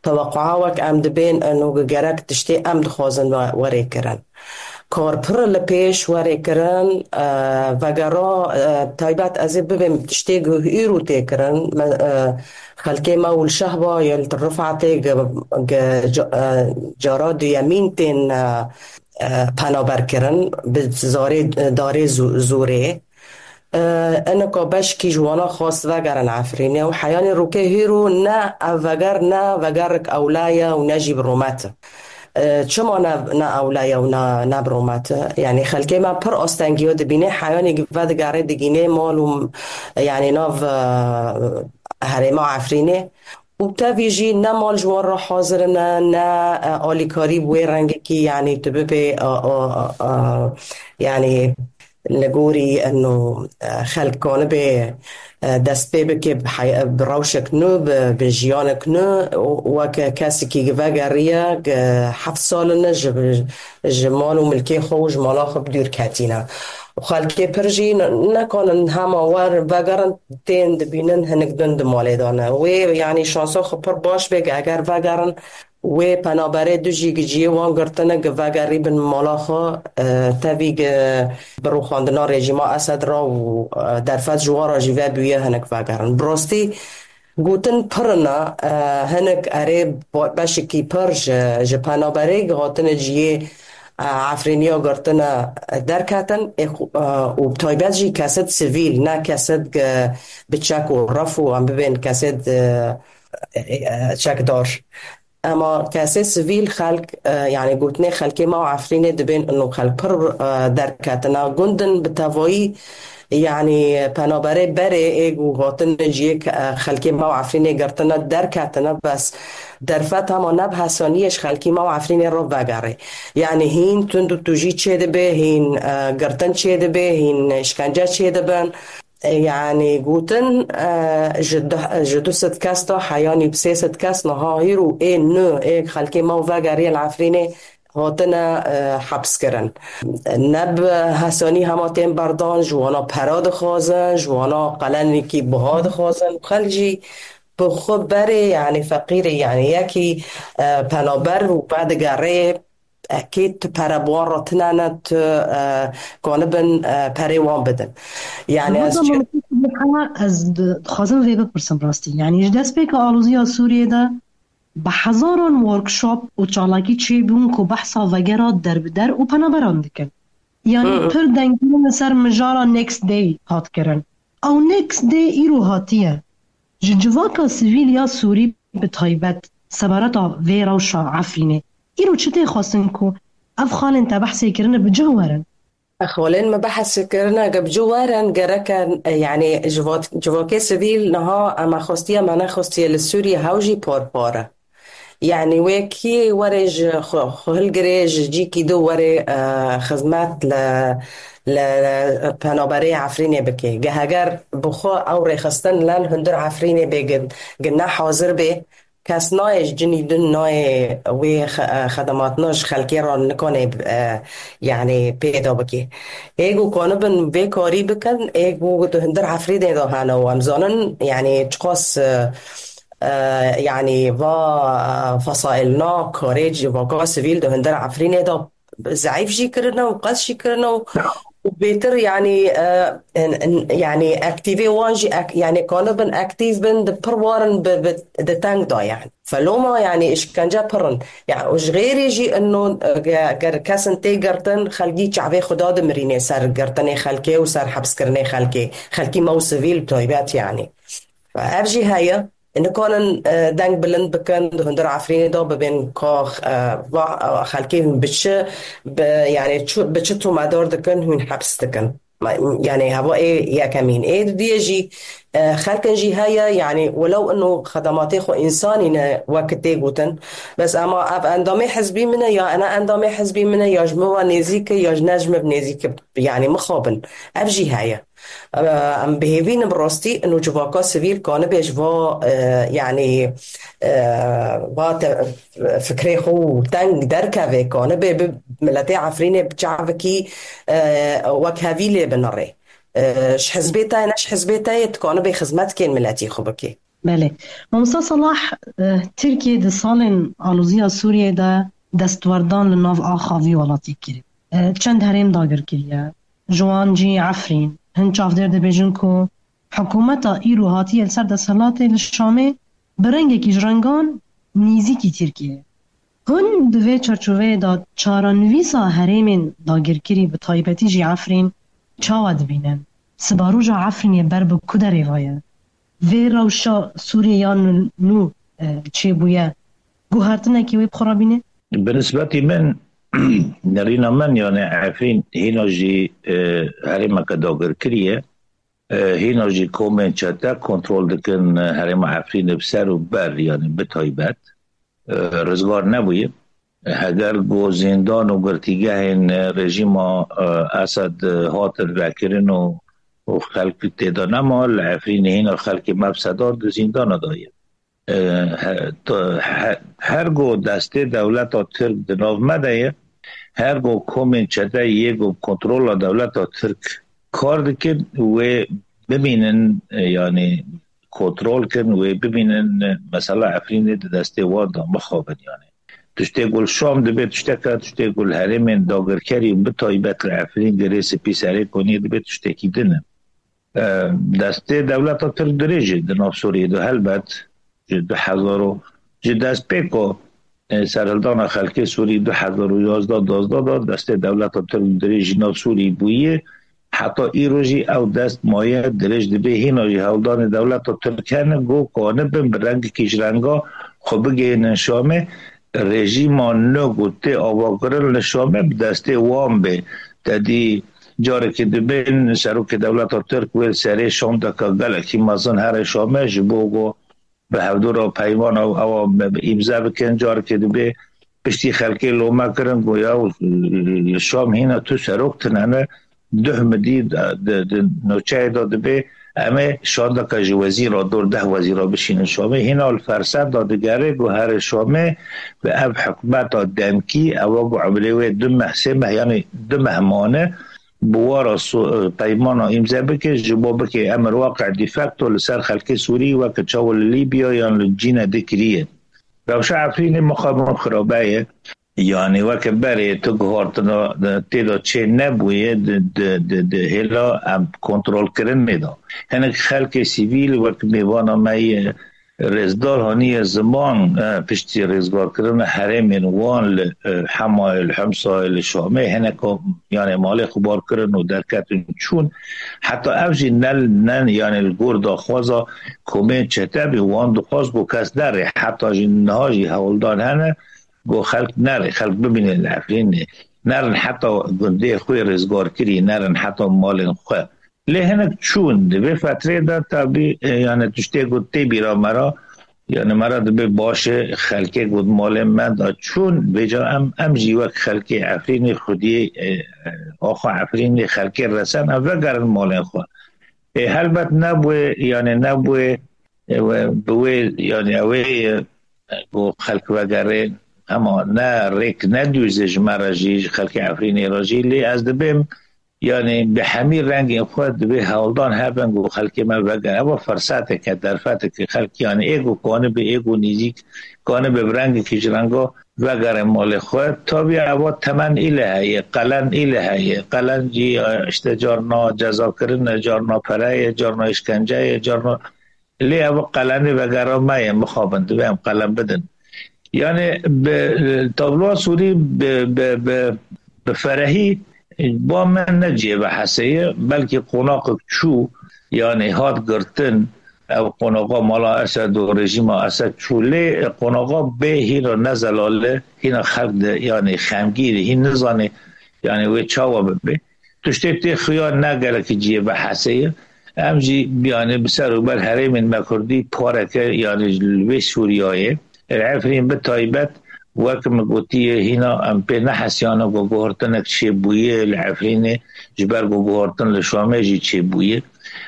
tewequa wek em dibên, eno gerek tiştê em dixwazin we-, werê kirin. Kar pir li pêş werê kirin, e, vegera, e, taybet ez ê bibêm tiştê ku îro tê kirin. Me, e, xelkê me û li Şehba yê li Rifatê ge, ge, ca-, e, cara duyemîn tên, e, e, penaber kirin bi zarê, darê zû-, zûrê. E, Enika beşkî ji wana xwest vegerin Efrînê û heyanî rûkê hîro ne ev veger, ne vegerek ewle ye û ne jî bi rûmet e. E, çima ne, ne ewle ye û ne, ne bi rûmet e? Yanî xelkê me pir astengiya dibîne, heyanî vedigerê digîne mal û, yanî nav, e, herêma Efrînê. Û tevî jî ne mal ji wan re hazir in, ne, e, alîkarî bi wê rengekî, yanî tu bibê, e, e, e, yanî li gorî eno, e, xelk kanibe, e, dest pê bike bi hey-, bi rewşek nû, bi, bi jiyanek nû, û weke kesekî vegeriye, ge heft sal in ji, ji mal û milkê xwe û ji mala xwe bi dûr ketîne. Û xelkê pir jî ne-, nekanin hema wer vegerin, tên dibînin hinek din di malê de ne. Wê, yanî şansa xwe pir baş bê, eger vegerin, wê penaberê du jî gi cihê wan girtine, gi vegerî bin mala xwe, e, tevî gi bi rûxandina rejîma Esed re û, e, derfet ji wan re jî vebûye hinek vegerin. Bi rastî gotin pir ne, e, hinek erê ba-, beşekî pir ji, ji penaberê gi hatine cihê, e, Efrîniya girtine derketin, ê xu-, e, û bi taybet jî kesed sivîl, ne kesed gi bi çek û ref û em bibên kesed, e, e, e, çekdar. Ema kesê sivîl xelk, e, yanî gotinê xelkê me û Efrînê dibên ino xelk pir, e, derketine gundin bi tevayî, yanî penaberê berê ê ku hatine ciyê ke-, e, xelkê me û Efrînê girtine derketine, bes derfet hema ne bi hesaniyê ji xelkê me û Efrînê re vegerê. Yanî hîn tund û tûjî çêdibe, hîn, e, girtin çêdibe, hîn îşkence çêdibin. Yanî gotin, e, ji du, ji du sed kes de heyanî bi sê sed kes niha hîro ê nû ê xelkê me û vegeriye li Efrînê hatine, e, hepskirin. Ne bi hesanî hema tên berdan, ji wana pera dixwazin, ji wana qelenekî buha dixwazin. Xelk jî bi xwe berê, yanî feqîrê, yanî yekî, e, penaber û vedigere, e, kê tu pere bi wan re tine ne, tu, e, kanibin, e, perê wan bidin. Yanî ez Heta çi- Mamostê Sibîha, ez di-, dixwazim vê bipirsim rastî. Yanî ji destpêka aloziya Sûriyê de bi hezaran workshop û çalakî çêbûn ku behsa vegera derbider û penaberan dikin. Yanî Hı. pir dengkirin li ser mijara Next Day hat kirin. Ew Next Day îro hatiye. Ji civaka sivîl ya Sûrî bi taybet sebareta vê rewşa Efrînê îro çi tê xwestin ku ev xalên te behsê kirine bi cih werin? Xalên me behs kirine, ge bi cih werin gereke, e, yanî civat-, civakê sivîl niha em xwestiye me nexwestiye li Sûriye hew jî par par e. Yanî wê kî were ji xwe, xwe hilgirê ji cîkî du were, e, xizmet li, li penaberê Efrînê bike. Ge heger bi xwe ew rêxistin len hundir Efrînê bê gin, gine hazir bê, kes nayê ji cinî din nayê wê xe-, e, xedematina ji xelkê re nikane, e, yanî pêda bike. Ê ku kanibin vê karî bikin, ê ku di hundir Efrînê de hene û em zanin, yanî çiqas, e, e, yanî va, e, fesaîlna karê civaka sivîl di hundir Efrînê de zeîf jî kirine û qels jî kirine û, û bêtir, yanî, e, en, en, yanî aktîvê wan jî ek-, yanî kanibin aktîv bin, di pir warin bi, bi, di teng da, yanî. Feloma, yanî, îşkence pir in. Ya, û ji xêrê jî ino, e, ge-, ger kesin tê girtin, xelkî çavê xwe da dimirîne ser girtinê xelkê û ser hepskirinê xelkê. Xelkî me û sivîl bi taybet, yanî. Ev jî heye. Nikanin, e, deng bilind bikin, di hundir Efrînê de bibên ka, e, va, e, xelkê hûn bi çi, bi, yanî, çu-, bi çi tomedar dikin, hûn heps dikin. Ma-, yanî, heva ê yekemîn. Ê didiyê jî, e, xelkin jî heye, yanî, welew ino xedematê xwe însanî ne wek tê gotin, bes ema ev endamê hizbî min e, ya ene endamê hizbî min e, ya ji min ve nêzîk e, ya ji ne ji min nêzîk e, yanî, mixabin. Ev jî heye. Em bi hêvî ne bi rastî ino civaka sivîl kanibê ji va, e, yanî, e, va te-, fikrê xwe û teng derkeve, kanibê bi miletê Efrînê bi çavekî, e, wekhevî lê binirê. E, ji hizbê te ye, ne ji hizbê te ye, tu kanibê xizmetkên miletî xwe bikê. Belê. Mamosta Salah, e, Tirkiye di salên aloziya Sûriyê de destwerdan li nav axa vî welatî kiriye. E, çend herêm dagir kiriye. Ji wan cî Efrîn. Hin çavdêr dibêjin ku hikûmeta îro hatiye li ser desthilatê li Şamê bi rengekî ji rengan nêzîkî Tirkiyeyê. Hûn di vê çarçoveyê de çarenivîsa herêmên dagirkirî, bi taybetî jî Efrîn, çawa dibînin? Sibaroja Efrînê ber bi ku derê ve ye? Vê rewşa Sûriyê ya nû, nû, e, çêbûye, guhertinekî wê bi xwe re bîne? Bi nisbetî min, nerîna min, yani Efrîn hîna jî, e, herêmeke dagirkirî ye. E, hîna jî komên çete kontrol dikin, e, herêma Efrînê bi ser û ber, yani bi taybet, e, rizgar nebûye. Heger ku zîndan û girtîgehên, e, rejîma, e, Esed, e, hatin vekirin û, û xelk tê de nema, li Efrînê hîna xelkê me bi sedan di zîndana de ye. E, he-, to-, he-, her ku destê dewleta Tirk di nav me de ye, her ku komên çete yê ku bi kontrola dewleta Tirk kar dikin, wê bimînin, e, yanî kontrol kin, wê bimînin, e, mesela Efrînê di destê wan de mixabin, yanî. Tiştê ku li Şam dibe tiştek e, tiştê ku li herêmên dagirkerî û bi taybet li Efrîn Girê Spî, Serê Koniyê dibe tiştekî din e. E, destê dewleta Tirk dirêj e di nav Sûriyê de, helbet, ji du hezar û, ji destpêka, e, serhildana xelkê Sûrî du hezar û yazdeh duwazdeh de destê dewleta Tirk dirêj ji nav Sûrî bûye. Heta îro jî ew dest maye dirêj dibe. Hîna jî hewldanê dewleta Tirk hene ku kanibin bi rengekî ji renga xwe bigihînin Şamê. Rejîma nû ku tê avakirin li Şamê bi destê wan bê. Te dî carekê dibên serokê dewleta Tirk wê li serê Şam deke gelekî mezin here Şamê ji bo ku bi hevdû re peyman ew, ewa îmze bikin. Carekê dibê piştî xelkê lome kirin ku ya li Şam hîna tu serok tine ne, duh midî di, di, di nûçeyê de dibê Em ê şandeke ji wezîra dor deh wezîra bişînin Şamê. Hîna li ferset de digere ku here Şamê bi ev hikûmeta demkî ewa ku emrê wê du meh, sê meh, yanî du meh mane bi wara so-, peymana îmze bike, ji bo bike emir waqe de facto li ser xelkê Sûrî weke çawa li Lîbya yan li cîne di kiriye. Rewşa Efrînê mixabin xirabe ye. Yanî weke berê tu guhartina tê de çê nebûye di, di, di, di hêla em kontrolkirinê de. Hinek xelkê sivîl wek mêvana me yê rêzdar haniye ziman, e, piştî rêzgarkirina herêmên wan li, e, Hemayê, li Himsayê, li Şamê, hineka, yanî malê xwe bar kirin û derketin çûn. Heta ev jî ne, ne, yanî li gor daxwaza komên çetebî wan dixwaz ku kes nerê. Heta jî niha jî hewldan hene, ku xelk nerê, xelk bimîne li Efrînê. Nerin heta gundê xwe rêzgar kirî, nerin heta malên xwe. Lê hinek çûn, di vê fetrê de tabî, e, yani tiştê ku tê bîra me re, yani me re dibe baş e, xelkê ku di malên me de çûn, vêca em, em jî wek xelkê Efrînê xwediyê, e, e, axa Efrînê xelkê resen, em vegerin malên xwe. E, helbet nebûye, yani nebûye, e, we, bi wê, yani ew ê, e, ku xelk vegerê, hema ne rêk ne dûze ji me re jî, ji xelkê Efrînê re jî, lê ez dibêm, yani bi hemî rengên xwe divê hewldan hebin ku xelkê me vegere. Ev fersetek e, derfetek e, xelk yani ê ku kanibe, ê ku nêzîk kanibe bi rengekî ji renga vegere malê xwe. Tabî ev temen île heye, qelen île heye. Qelen jî, e, işte carna cezakirin e, carna pere ye, carna îşkence ye, carna Lê ev qelenê vegera me ye, mixabin, divê em qelen bidin. Yani bi, tabloa Sûrî bi, bi, bi, bi ferehî ba me ne cihê vehesê ye, belkî qonaqek çû, yani hat girtin, ev qonaxa mala Esed û rejîma Esed çû, lê qonaxa bê hîna ne zelale, hîna xelk de, yani xemgîn e, hîn nizane, yani wê çawa bibe. Tiştê tê xuya ne gelekî cihê vehesê ye. Em jî, yani, bi ser û ber herêmên me kurdî pareke, yani, li vê Sûriyayê, li Efrîn bi taybet, wek min gotiye, hîna em pê nehesiyane ku guhertinek çêbûye li Efrînê, ji ber ku guhertin li Şamê jî çêbûye.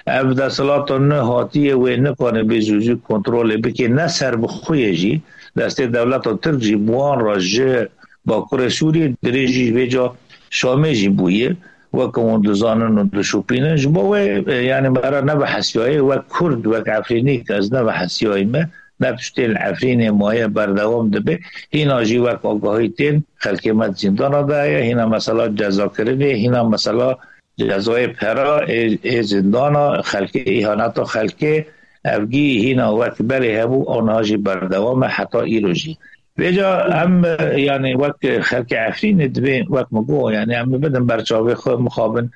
Ev desthilata nû hatiye, wê nikane bê zû zû kontrolê bike, ne serbixwe ye jî, destê dewleta Tirk jî bi wan re ji Bakurê Sûriyê dirêjî vêca Şamê jî bûye, weke hûn dizanin û dişopînin. Ji bo wê, e, yani me re nebihesiyaye, wek Kurd, wek Efrînî ke ez nebihesiyayî me, ne tiştê li Efrînê maye berdewam dibe. Hîna jî wek agahî tên, xelkê me di zîndana de ye, hîna mesela cezakirinê, hîna mesela cezayê pera ê, ê zîndana, xelkê, îhaneta xelkê, evgî hîna wek berê hebû, aniha jî berdewam e heta îro jî. Vêca em, yani wek xelkê Efrînê divê, wek min got, yani em bidin ber çavê xwe, mixabin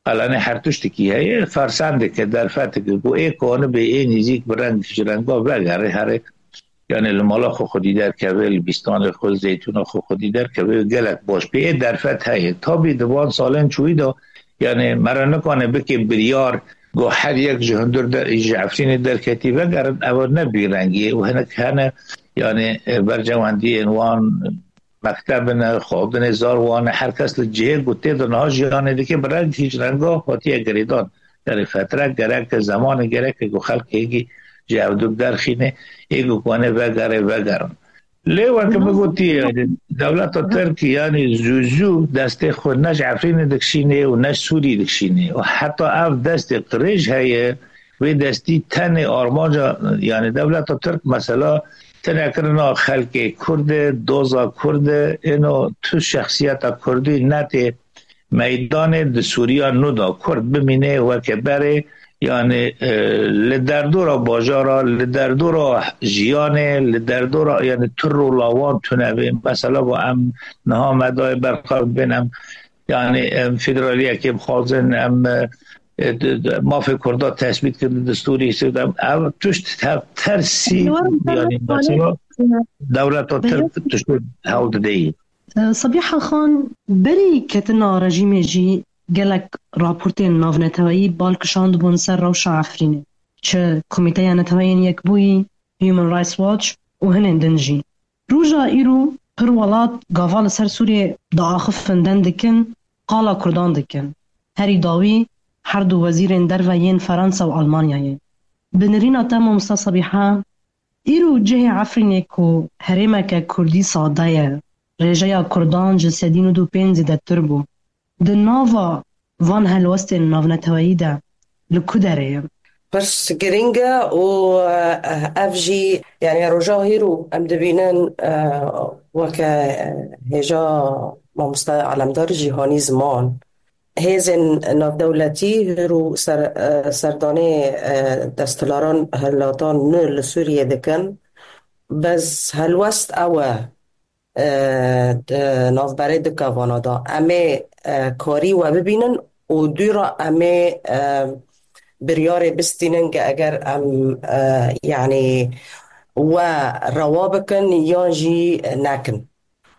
qelenê her tiştekî heye, fersendeke, derfeteke ku ê kanibe, ê nêzîk bi reng ji renga vegere here, yani li mala xwe xwedî derkeve, li bîstanê xwe, li zeytûna xwe xwedî derkeve, gelek baş bê. Ê derfet heye. Tabî di van salên çûyî de, yani me re nikane bike biryar, ku her yek ji hundir de, ji Efrînê derketî vegerin, ew ne bîrengî ye û hinek hene, yani, e, berjewendiyên wan mekteb in, xwedinê zar wan e, her kes li cihê ku tê de niha jiyanê dike bi rengekî ji renga hatiye girêdan. Yani fetre gereke, zemanê gereke ku xelk hêgî ji ev dû derxîne, ê ku kane vegere, vegerin. Lê weke min gotiye, yani, dewleta Tirk, yani, zû zû destê xwe ne ji Efrînê dikişîne û ne ji Sûrî dikişîne. Û heta ev destê qirêj heye, wê destî tenê armanca, yani, dewleta Tirk, mesela, tinekirina xelkê Kurd e, doza Kurd e, êno tu şexsiyeta Kurdî netê meydanê di Sûriya nû de Kurd bimîne weke berê, yani, e, li derdora bajara, li derdora jiyanê, li derdora, yani, tu rola wan tune be. Mesela, bu em niha me dayê berxwe bên em, yani, em federaliyekê bixwazin, em, e, e, d-, d-, mafê Kurda tesbît kirin destûrî, em, ev tişt tev-, tersî, yani, mesela, dewleta Tirk tişt hewl dideyî. Sabiha Xan, berî ketina rejîmê jî gelek raportên navneteweyî bal kişandibûn ser rewşa Efrînê. Çi Komîteya Neteweyên Yekbûyî, Human Rights Watch û hinên din jî. Roja îro pir welat gava li ser Sûriyê diaxifin, deng dikin, qala Kurdan dikin. Herî dawî her du wezîrên derve yên Fransa û Almanyayê. Bi nirîna te Mamosta Sabiha, îro cihê Efrînê ku herêmeke kurdî sade ye, rêjeya kurdan ji sedî nod û pênc zêdetir bû. Di nava van helwestên navneteweyî de li ku derê ye? Pirs girîng e û, eh, ev jî, yani roja hîro em dibînin, eh, weke, eh, hêja mamoste Alemdar Cîhanî Ziman, hêzên navdewletî hîro ser, eh, serdanê, eh, desthilaran hilatan nû li Sûriyê dikin. Bes helwest ew e, e, di navberê du kevana de. Em ê, e, karî we bibînin û dû re em ê, e, biryarê bistînin ke eger em, e, yanî we rewa bikin yan jî nekin.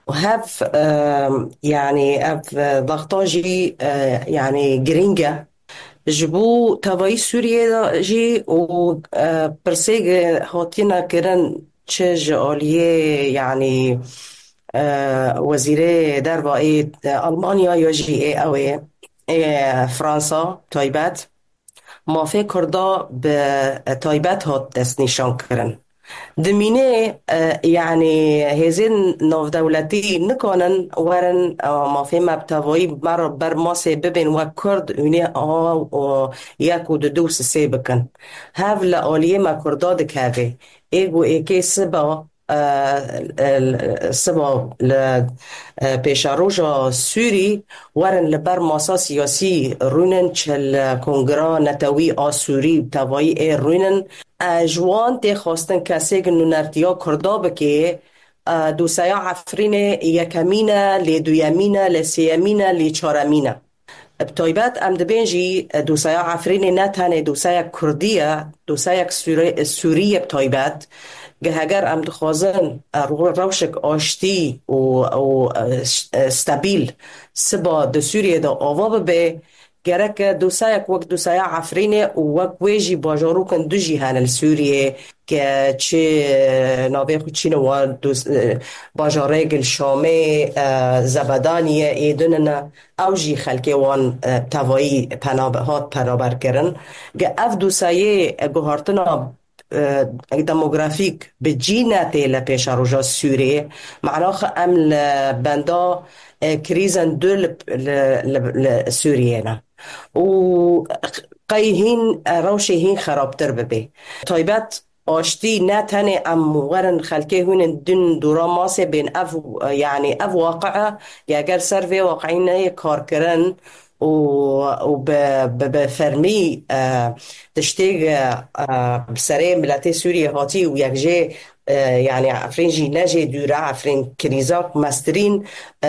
Û hev, e, yanî ev, e, wexta jî, e, yanî girîng e. Ji bo tevayî Sûriyê de jî û, e, pirsê ge-, hatine kirin çi ji aliyê, yanî, e, wezîrê derva ê, e, Almanya ya jî ê ew ê, ê Fransa taybet, mafê Kurda bi taybet hat destnîşankirin. Dimînê, e, yanî hêzên navdewletî nikanin werin, e, mafê me bi tevayî me re ber masê bibên wek Kurd, hûnê a, o, yek û du, du û sisê bikin. Hev li aliyê me Kurda dikeve. Ê ku êkê siba, e, e, siba li, e, pêşeroja Sûrî werin li ber masa siyasî rûnin, çi li Kongra Netewî a Sûrî tevayî ê rûnin. E, ji wan tê xwestin kesêk nûnertiya Kurda bike, e, doseya Efrînê yekemîn e, lê duyemîn e, lê sêyemîn e, lê çaremîn e. Bi taybet em dibên jî, e, doseya Efrînê ne tenê doseyek Kurdî ye, doseyek Sûre-, Sûrî ye bi taybet. Ge heger em dixwazin, e, ro-, rewşek aştî û, û, e, ş-, e, stabîl siba di Sûriyê de ava bibe, gerek e dosayek wek dosaya Efrînê û wek wê jî bajarokên du jî hene li Sûriyê, ke çi, e, navê xwe çîne wan dos-, e, bajarê gil Şamê, e, Zebedaniyê ê din ne. Ew jî xelkê wan, e, tevayî penabe-, hat penaber kirin. Ge ev dosayê, e, guhartina, e, demografîk bi cî netê li pêşeroja Sûriyê, manaxe em li benda, e, krîzên du li, li, li, li Sûriyê ne. Û qey hîn, e, rewşê hîn xerabtir bibe. Taybet aştî ne tenê em werin xelkê hûn in din dûra masê bên ev, e, yanî ev waqi e, ya ger ser vê waqî neyê karkirin û, û bi, bi, bi fermî, e, tiştê, e, e, bi serê miletê Sûriyê hatî û yek jê, e, yanî Efrîn jî ne jê dûr e, Efrîn krîza mestirîn, e,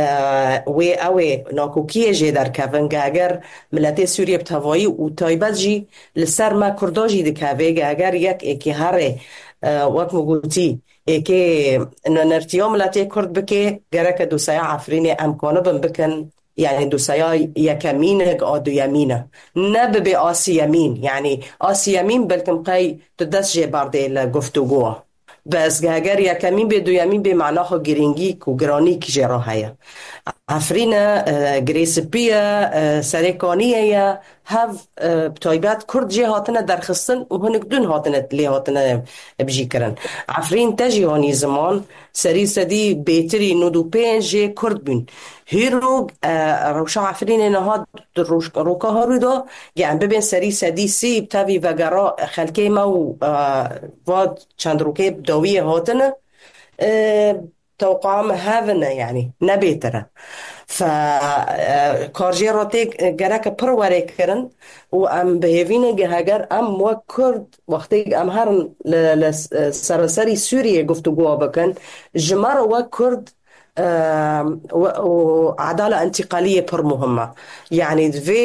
wê ew ê nakokiyê jê derkevin, ge eger miletê Sûriyê bi tevayî û taybet jî li ser me Kurda jî dikeve, ge eger yek êkê herê, e, wek min gotî, êkê nûnertiya miletê Kurd bike, gereke doseya Efrînê em kanibin bikin, yani doseya yekemîn e, a duyemîn e. Ne bibe a siyemîn, yani a siyemîn belkim qey tu dest jê berdê li guftûgoya. Bes heger yekemîn bê, duyemîn bê, mana xwe girîngî ku giranî jê re heye. Efrîn e, e, girê spî ye, e, serê kaniyê ye, hev, e, bi taybet Kurd jê hatine derxistin û hinek din hatine, lê hatine bicîkirin. Efrîn te jî hanî ziman, serî sedî bêtirî nod û pênc jê Kurd bûn. Hîro, e, rewşa Efrînê niha di roj-, roka herû de, ge em bibên serî sedî sî bi tevî vegera xelkê me û, e, va çend rokê bi dawiyê hatine, e, tewqaa me hev in e, yanî ne bêtir e. Fe, e, kar jê re tê, e, gereke pir were kirin û em bi hêvî ne ge heger em wek Kurd wextê em herin li, li, e, seranserî Sûriyê guftûgoya bikin, ji me re wek Kurd, e, we, û edala întîqaliyê pir muhim e. Yanî di vê,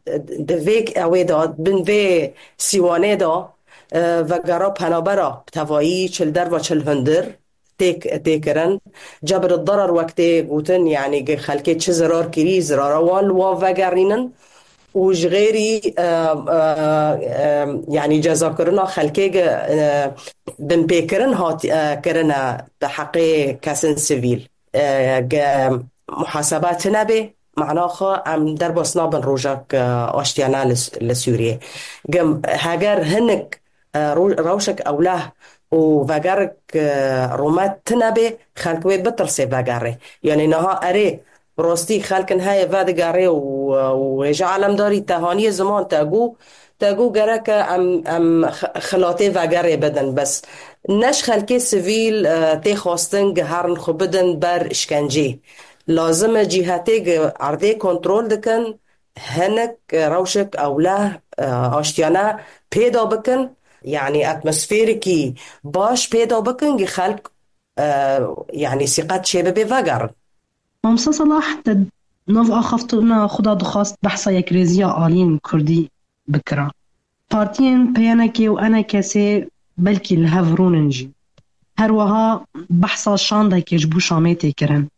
e, di vê ewê de, bin vê sîwanê de, e, vegera penabera bi tevayî çi li derve çi li hundir tê, tê kirin. Cebr derar wek tê gotin, yanî ge xelkê çi zirar kirî, zirara wan li wan vegerînin û ji xêrî, e, e, e, yanî cezakirina xelkê ge, e, binpêkirin hat, e, kirine di heqê kesên sivîl. E, ge muhaseba tune bê, mana xwe em derbas nabin rojek, e, aştiyane li, li Sûriyê. Gim, heger hinek, e, ro-, rewşek ewleh û vegerek, e, rûmet tune bê, xelk wê bitirse vegerê. Yanî niha erê, bi rastî xelkin heye vedigerê û, û hêja alemdarî te haniyê ziman te got, te got gereke em, em x-, xilatê vegerê bidin. Bes ne ji xelkê sivîl, e, tê xwestin giherin xwe bidin ber işkencê. Lazim e cîhetê gi erdê kontrol dikin, hinek, e, rewşek ewleh, e, aştiyane pêda bikin, yanî atmosferekî baş pêda bikin, gi xelk, e, yanî sîqet çêbibe vegerin. Mamsa Salah, te nav axaftina xwe de dixwast behsa yekrêziya aliyên Kurdî bikira. Partiyên P Y N K û E N K S belkî li hev rûnin jî. Her wiha behsa şandekê ji bo Şamê tê kirin.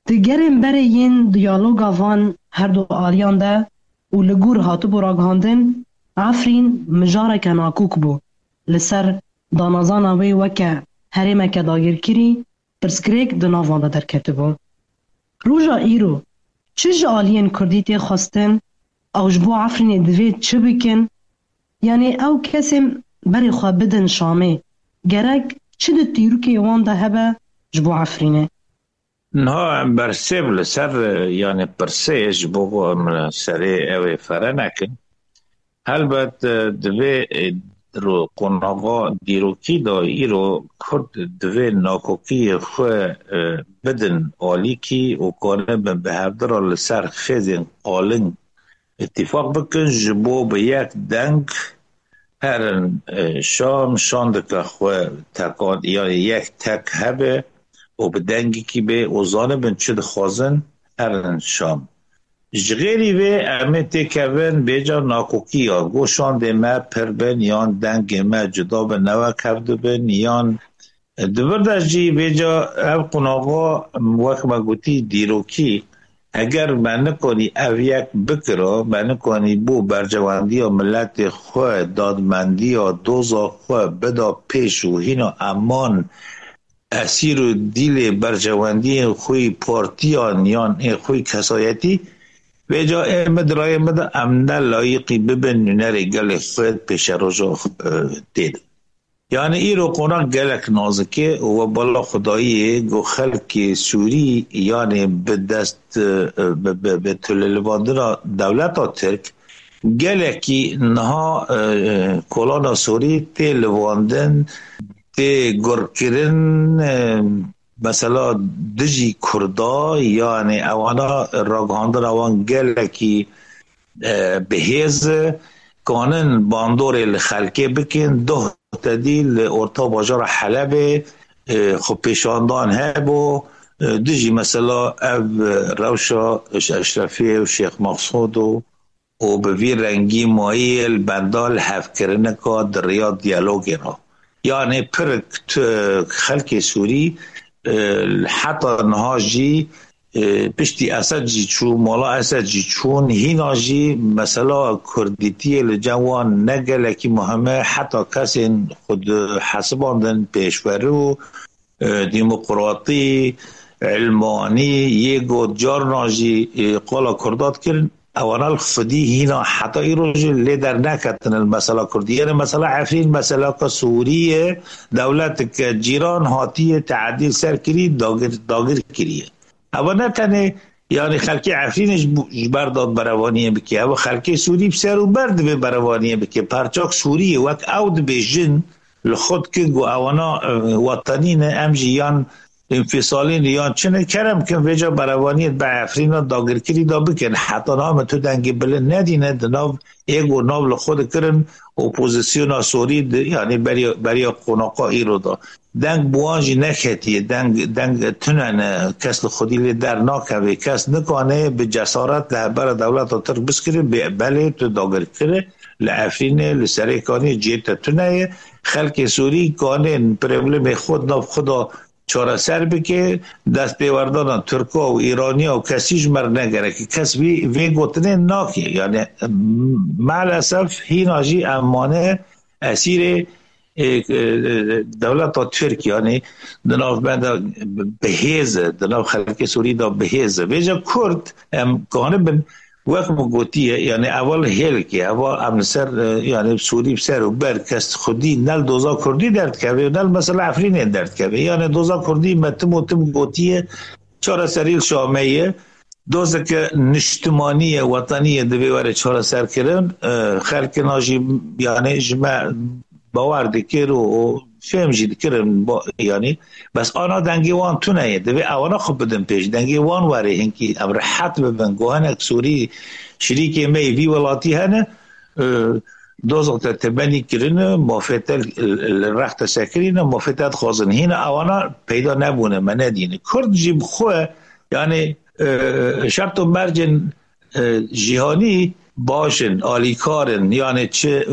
Di gerên berê yên diyaloga van her du aliyan de û li gor hatibû ragihandin, Efrîn mijareke nakok bû. Li ser danezana wê weke herêmeke dagirkirî pirsgirêk di nav wan de derketibû. Roja îro çi ji aliyên Kurdî tê xwestin? Ew ji bo Efrînê divê çi bikin? Yanî ew kesên berê xwe bidin Şamê, gerek çi di tîrokê wan de hebe ji bo Efrînê? Niha em bersêv li ser, yanî pirsê ji bo em serê ew ê fere nekin. Helbet, e, divê, e, ro-, qonaxa dîrokî de îro Kurd divê nakokiyê xwe, e, bidin alîkî û kanibin bi hevdira li ser xêzên qalin îtîfaq bikin, ji bo bi yek deng herin, e, Şam, şandeke xwe tekan, yanî yek tek hebe û bi dengekî bê û zanibin çi dixwazin, herin Şam. Ji xêrî vê em ê têkevin bêca nakokiyan, go şandê me pir bin yan dengê me cuda bin, ne wek hev dibin, yan di vir de jî bêca ev qonaxa, wek me gotî, dîrokî, eger me nikanî ev yek bikira, me nikanî bo berjewendiya miletê xwe, dadmendiya doza xwe bida pêş û hîna eman esîr û dîlê berjewendiyên xwe yî partiyan yan ê xwe yî kesayetî, vêca ê min di rayê min de em ne layiqî bibin nûnerê gelê xwe pêşeroja, e, tê de. Yanî îro qonax gelek nazik e û we bala Xwedayî ye ku xelkê Sûrî, yanî bi dest, e, bi, bi, bi tolelivandina dewleta Tirk, gelekî niha, e, e, kolana Sûrî tê livandin, tê gurkirin, e, mesela dijî Kurda, yanî ewana ragihandina wan gelekî, e, bi hêz e, kanin bandorê li xelkê bikin, doh tedî li orta bajara Helebê, e, xwepêşandan hebû, e, dijî mesela ev, e, rewşa Eş-, Eşrefiyê û Şêx Mexsûd û û bi vî rengî mayî li benda lihevkirinika di riya diyalogê re. Yanî pir tu-, xelkê Sûrî, e, heta niha jî, e, piştî Esed jî çû, mala Esed jî çûn, hîna jî mesela kurdîtiyê li cem wan ne gelekî muhim e, heta kesên xwe dihesibandin pêşwerû, e, demokratî, ilmanî, yê got carna jî, e, qala Kurda dikirin, ewana li xwedî hîna heta îro jî lê derneketine li mesela Kurdî. Yanî mesela Efrîn, meselaka Sûrî ye, dewleteke cîran hatiye teedî li ser kirî, dagir, dagir kiriye. Ewa ne tenê, yanî xelkê Efrînê ji bo, ji ber de berevaniyê bike. Ewa xelkê Sûrî bi ser û ber divê berevaniyê bike. Parçak Sûriyê wek ew dibêjin, li xwe dikin ku ewana, e, wetenî ne, em jî yan înfîsalî ne, yan çi ne, kerem kin vêca berevaniyê bi Efrîna dagirkirî de bikin. Heta niha me tu dengê bilind nedîne di nav ê ku nav li xwe dikirin opozisyona Sûrî di, yanî beriya, beriya qonaxa îro de. Deng bi wan jî neketiye, deng, deng tune ne, kes li xwedî lê dernakeve, kes nikane bi cesaret li hevbera dewleta Tirk biskire, bê-, belê tu dagirkirî li Efrînê, li Serêkaniyê cihê te tune ye. Xelkê Sûrî kanên problemê xwe di nav xwe de çareser bike, destpêwerdana Tirka û Îraniya û kesî ji me re negereke. Kes vî, vê gotinê nake. Yanî, m-, maalesef hîna jî em mane esîrê ê, e, dewleta Tirk, yanî di nav me de bi hêz e, di nav xelkê Sûrî de bi hêz e. Vêca Kurd em kanibin, wek min gotiye, yanî eva li hêlkê, eva em li ser, e, yanî Sûrî bi ser û ber kes xwedî ne li doza Kurdî derdikeve, ne li mesela Efrînê derdikeve. Yanî doza Kurdî me tim û tim gotiye, çareserî li Şamê ye. Dozeke niştimanî ye, wetanî ye, divê were çareserkirin. E, xelkina jî, yanî ji me bawer dikir û, û fêm jî dikirin, bo-, yanî, bes ana dengê wan tune ye. Divê ewana xwe bidin pêş. Dengê wan were hinkî em rehet bibin. Ku hinek Sûrî şirîkê me yê vî welatî hene, e, dozok te tebenî kirine, mafê te li, li rex te sekirîne, mafê te dixwazin. Hîna ewana peyda nebûne, me nedîne. Kurd jî bi xwe, yanî, e, şert û mercên, e, cîhanî baş in, alîkar in. Yanî çi, e,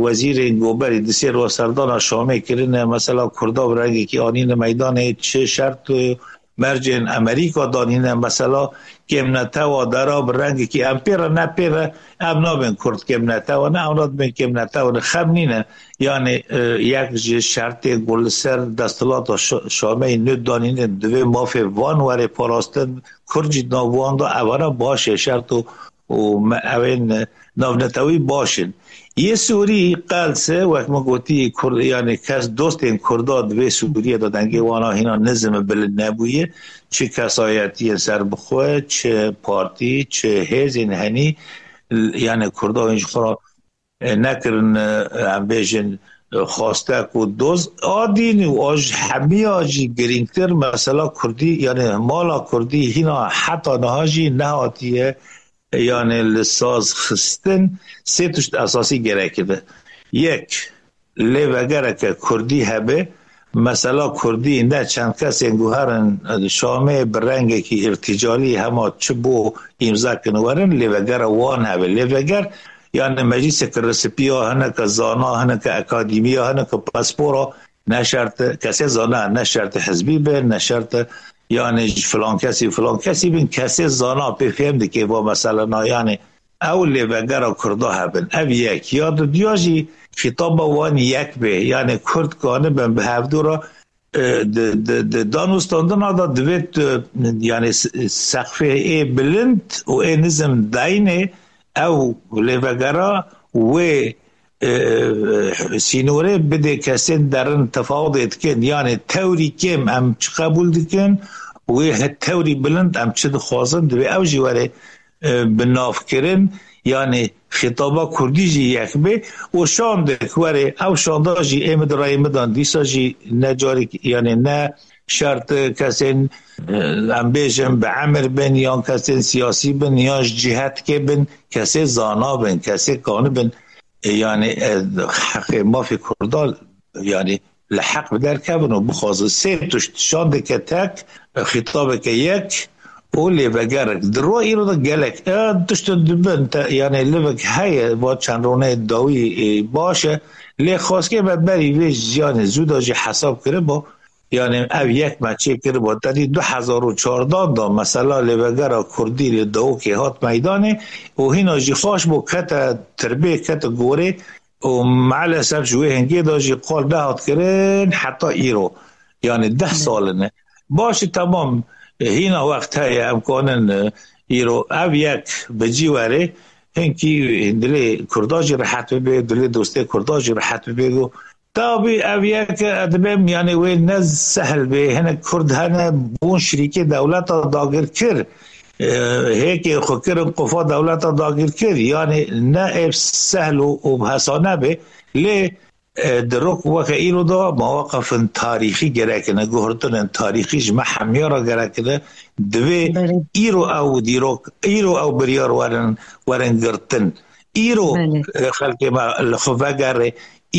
wezîrên goberî di sê roja serdana Şamê kirine, mesela Kurda bi rengekî anîne meydanê, çi şert û mercên Amerîka danîne, mesela kêmnetewa dera bi rengekî em pê re ne pê re, em nabên Kurd kêmnetewa ne, em nabên kêmnetewa ne, xem nîne. Yanî, e, yek ji şertên ku li ser desthilata Şa-, Şameyê nû danîne, divê mafê van were parastin, Kurd jî di nav wan de, evana baş e, şert û, û me, ewên navnetewî baş in. Yê Sûrî qels e, wek min gotî, Kur-, yanî kes dostên Kurda di vê Sûriyê de dengê wana hîna nizim û bilind nebûye. Çi kesayetiyên serbixwe, çi partî, çi hêzên henî, yanî Kurda hîn ji xwe re, e, nekirin, e, em bêjin, e, xwastek û doz. A dîn û a ji hemiya jî girîngtir mesela Kurdî, yanî mala Kurdî hîna heta niha jî nehatiye, yanî li saz xistin. Sê tişt esasî gerek dibe. Yek, lêvegereke Kurdî hebe, mesela Kurdî ne çend kesên guherin Şamê bi rengekî îrtîcalî hema çi bo îmza kin werin, lêvegera wan hebe. Lêveger, yanî meclîseke resipiya, hineke zana, hineke akademiya, hineke paspora, ne şert e kesê zana, ne şert e hizbî be, ne şert e, yanî ji filan kesî, filan kesî bin, kesê zana pê fêm dike va mesela na, yanî ew lêvegera Kurda hebin. Ev yek. Ya dudiya jî xîtaba wan yek bê. Yanî Kurd kanibin bi hevdû re, e, di, di, di danûstandina de divê tu, yanî s-, sexfê ê bilind û ê nizim dayînê, ew lêvegera wê, e, sînorê bidê kesên derin tefawdê dikin. Yanî tewrî kêm em çi qebûl dikin, wê he-, tewrî bilind em çi dixwazin, divê ew jî were, e, bi nav kirin, yanî xîtaba Kurdî jî yek bê û şandek were, ew şanda jî ê min di rayê min de dîsa jî ne carek, yanî ne şert kesên, e, em bêjin bi emir bin, yan kesên siyasî bin, yan ji cîhetkê bin, kesê zana bin, kesê kanibin, e, yanî, e, heqê mafê Kurda, yanî li heq bi derkevin û bixwazin. Sê tişt, şandeke tek, xîtabeke yek û lêvegerek. Di roja îro de gelek, e, tiştin dibin, te, yanî livek heye, va çend rûnê dawî, e, baş e. Lê xwezkê me berî vê, yanî zû de jî hesab kiribû. Yanî ev yek me çê kiribû. Te dî du hezar û çardan de mesela lêvegera Kurdî li Dawokê hat meydanê û hîna jî xweş bû, kete tirbê, kete gorê. û maalesef ji wê hingê de jî qal nehat kirin heta îro. Yanî deh sal in. Baş e, temam, hîna wext heye, em kanin, e, îro ev yek bi cî were, hinkî dilê Kurda jî rehet bibe, dilê dostê Kurda jî rehet bibe. Ku tabî ev yek, e, dibêm, yanî wê ne sehl bê, hinek Kurd hene, bûn şirîkê dewleta dagirkir. E, hêkê xwe kirin qofa dewleta dagirkir, yanî ne ev sehl û, û hesane be, lê, e, di rok weke îro de mewaqifin tarîxî gerek in, guhertinên tarîxî ji me hemiya re gerek in. Divê Belê. îro ew dîrok, îro ew biryar werin, werin girtin. Îro, Belê. e, xelkê me li xwe vegere,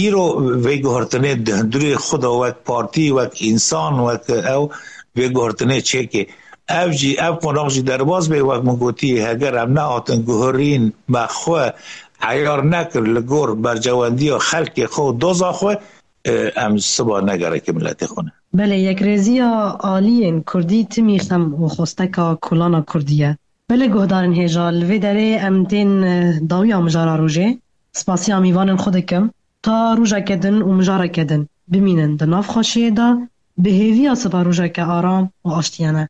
îro vê guhertinê di hundirê xwe de wek partî, wek însan, wek ew vê guhertinê çêke. Ev jî, ev qonax jî derbas bê, wek min gotî, heger em nehatin guherîn, me xwe eyar nekir li gor berjewendiya xelkê xwe û doza xwe, e, em siba negereke miletê xwe ne. Belê, yekrêziya aliyên Kurdî timî xem û xwesteka kolana Kurdî ye. Belê guhdarên hêja, li vê derê em tên, e, dawiya mijara rojê. Spasiya mîvanên xwe dikim. ta rojeke din û mijareke din bimînin di nav xweşiyê de, bi hêviya siva rojeke aram û aştiyane.